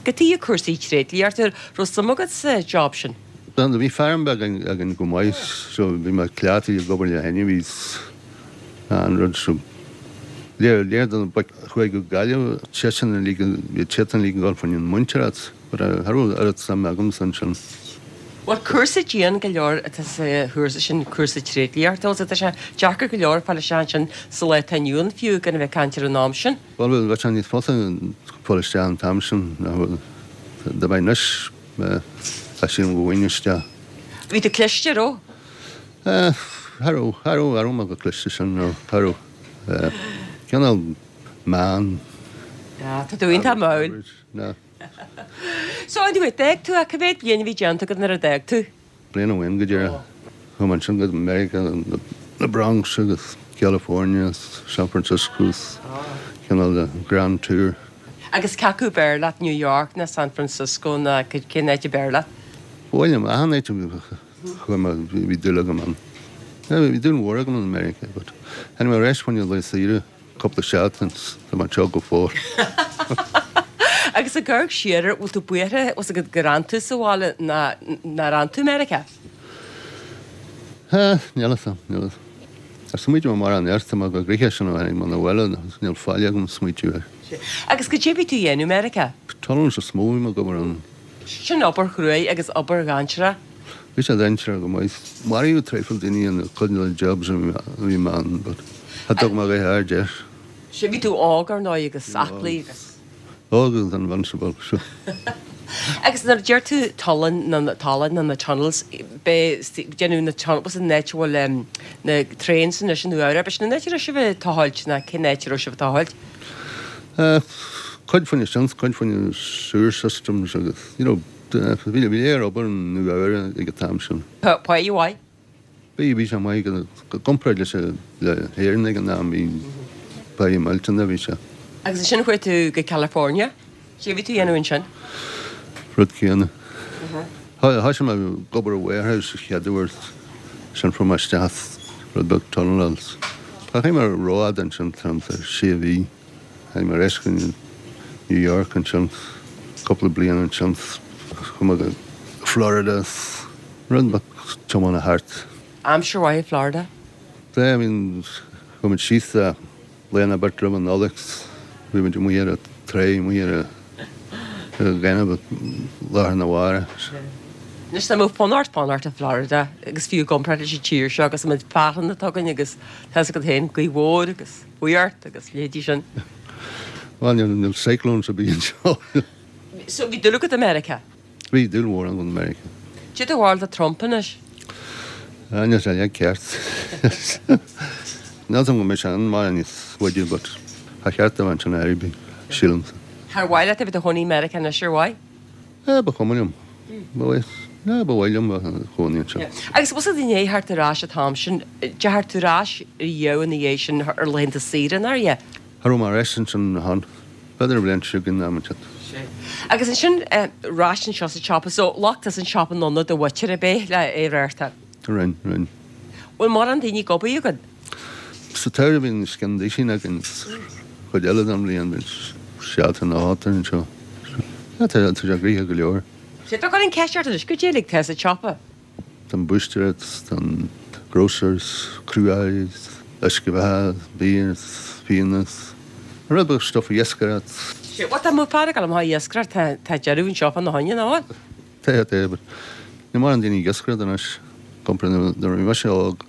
Cad chuige cúrsaí tréidliachta, raibh suim agat sa job sin? Bhí feirm beag againn go maith so bhí mé cleachtaithe ag obair le hainmhithe an rud so léir léir do na boic a chuaigh go Gaillimh seisean uilig bhí siad uilig ag dul fá choinne an mhúinteoireacht but cha raibh oiread suim agamsa ansin. Bhuel cúrsa dian go leor atá sa chúrsa sin, cúrsa tréidliachta, bhfuil tá sé deacair go leor fáil isteach ansin sa lá atá inniu ann fiú gan a bheith ag caint ar an am sin. Bhuel bheadh sé níos fusa fáil isteach an t-am sin ná dá mbeadh anois. Tá sílim go bhfaighinn isteach. Bhí tú cliste, raibh? Cha raibh, cha raibh, cha raibh mé chomh cliste sin, no, cha raibh. Cineál meán. Tá tú iontach mall. No. So anyway, d'fhág tú, cá mhéad bliain a bhí déanta agat nuair a d'fhág tú? Bliain amháin go díreach. Chuaigh mé ansin go Meiriceá, na Bronx agus California, San Francisco, cineál de grand tour. Agus cé acu ab fhearr leat, New York ná San Francisco ná cén áit ab fhearr leat? Ba mhaith liom achan áit a chuaigh mé, bhí dúil agam ann. Bhí dúil mhór agam in Meiriceá but tháinig mé ar ais fá choinne lae saoire cúpla seachtain tá mé anseo go fóill. Agus ag amharc siar air, bhfuil tú buartha, bhfuil 's agat gur fhan tú sa bhaile ná nár fhan tú i Meiriceá? Níl a fhios agam, níl a fhios. Ar smaointigh mé mórán air, tá mé chomh gnoitheach sin ó tháinig mé 'na bhaile níl faill agam smaointiú air. Agus cad é bhí tú a dhéanamh i Meiriceá? Tunnels is mó a bhí mé ag obair ann. Sin obair chruaidh agus obair dhainséarach. Bhí sé dainséarach go maith. Maraíodh traidhfil daoine in cuid de na jobs a bhí mé ann but cha dtug mé a dhath aird air. Sea, bhí tú óg ar ndóigh agus aclaí agus. Óg agus invincible, sure. Agus nuair a deir tú tollán nó na tolláin nó na tunnels, b'é déanamh na tunnels an áit a bhfuil na trains anois i Nua Eabhrac, b'shin an áit a raibh sibh ag tochailt nó cén áit a raibh sibh ag tochailt? Cuid faoi na sin, cuid faoi na sewer systems agus, you know, bhí bhí léir obair i Nua Eabhrac ag an t-am sin. Páigh mhaith? Bhí, bhí sé maith i gcomparáid leis le hÉirinn ag an am, bhí páigh millteanach a bhí sé. Agus ansin chuaigh tú go California. Cé a bhí tú a dhéanamh ansin? Rud céanna. Thoisigh mé ag obair i warehouse sa chéad uair sin fuair mé isteach rud beag tunneláil. Cha raibh mé rófhada ansin thart ar sé mhí. Tháinig mé ar ais go New York ansin cúpla bliain ansin chuaigh mé go Florida rud beag tiomána thart. Aimsir mhaith i Florida? I mean chuaigh muid síos lá nó beirt roimh an Nollaig bhí muid amuigh ar an trá amuigh ar an ghaineamh lá arna mhárach. Anois dá mbeadh fonn ort fanacht i Florida agus fiú i gcomparáid leis an tír seo agus an méid fearthainn atá againn agus tá fhios agat féin gaoth mhór agus fuacht agus leithéidí sin. Bhuel níl níl cyclones ar bith anseo. So bhí dúil agat i Meiriceá? Bhí dúil mhór agam i Meiriceá. Cad é do bharúil de Trump anois? Ah níl sé ceart. Níl 'fhios a'm go mbeidh sé ann mar níos faide but ba cheart dó ansin ar bith, sílimse. Ar mhaith leat a bheith i do chónaí i Meiriceá anois ar mhaith? Eh ba chuma liom. Ba mhaith, eh ba mhaith liom bheith i mo chónaí anseo. Agus bhfuil 'fhios a'd i ndiaidh theacht ar ais an t-am sin, deachair tú ar ais riamh ina dhiaidh sin ar laethanta saoire, nár ea? Cha raibh mé ar ais ansin ann. B'fhéidir an bhliain seo chugainn am inteacht. Agus ansin ar ais anseo sa tsiopa, so ghlac tusa an siopa anonn do mhuintir ar bith le é a reáchtáil? Rinn, rinn. Bhfuil mórán daoine ag obair agat? Sa tsamhradh bíonn os cionn duisín againn, chuid eile den bhliain bíonn seacht nó ocht anseo. Tá tá sé gnoitheach go leor. Sea, tá an ceist ort anois, goidé uilig atá sa tsiopa? Tá an búistéir, tá an grocers, cruais, uisce beatha, bia, fíona, an rud beag stuff iascaireacht. Sea, bhuel tá mo fear ag dul amach ag iascaireacht, tá tá deireadh anseo fá na choinne, nach bhfuil? Tá, tá, but níl mórán daoine ag iascaireacht anois, compared nuair a bhí mise óg,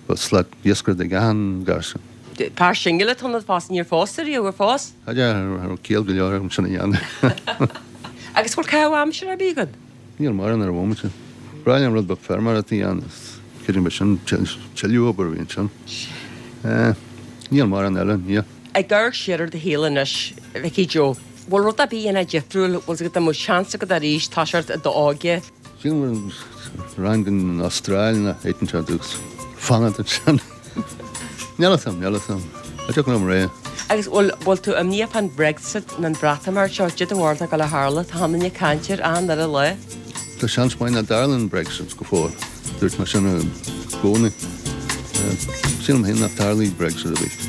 bheadh slat iascaireachta ag achan garsún. Fear singil atá ionat fosta, níor phós tú riamh, ar phós? Cha raibh ciall go leor agam sin a dhéanamh. Agus bhfuil caitheamh aimsire ar bith agat? Níl mórán ar an bhomaite. Ba bhreá liom rud beag feirmeoireachta a dhéanamh, creidim b'shin tuilleadh obair a bhí ansin. Níl mórán eile, níl. Ag amharc siar ar do shaol anois, a Mhicí Joe, bhfuil rud ar bith a dhéanfá difriúil, bhfuil 's agat dá mbeadh seans agat arís toiseacht i d'óige? Sílim go raghainn go an Astráil nó áit inteacht agus fanacht ansin. Níl 'fhios a'm, níl 'fhios a'm. Cha dtiocfadh liom rá. Agus bhfuil, bhfuil tú imníoch fán Brexit nó an Bhreatimeacht seo, cad é do bharúil atá ag dul a tharlú, tá achan duine ag caint air achan uile lá. Tá seans maith nach dtarlaíonn Brexit go fóill. Dúirt mé sin i gcónaí. Sílim féin nach dtarlóidh Brexit ar bith.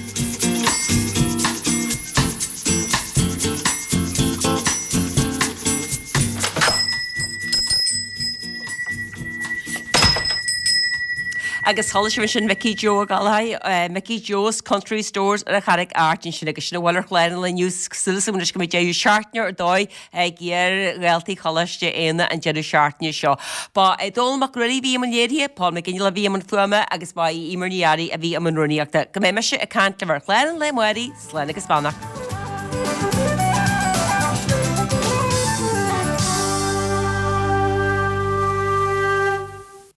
Agus chuala sibh ansin Micí Joe Ó Gallchóir, Mickey Joe's Country Stores ar an Charraig Airt ansin agus sin a bhfuil ar chlár an lae inniu. Súil agam anois go mbeidh deireadh seachtaine ar dóigh ag iar-dhaltaí Choláiste Éanna an deireadh seachtaine seo. Ba é Dónall Mac Ruairí a bhí i mbun léirithe, Paul McGinley a bhí i mbun fuaime agus ba í Eimear Ní Fhearraigh a bhí i mbun rúnaíochta. Go mbeidh mise ag caint libh ar chlár an lae amárach, slán agus beannacht.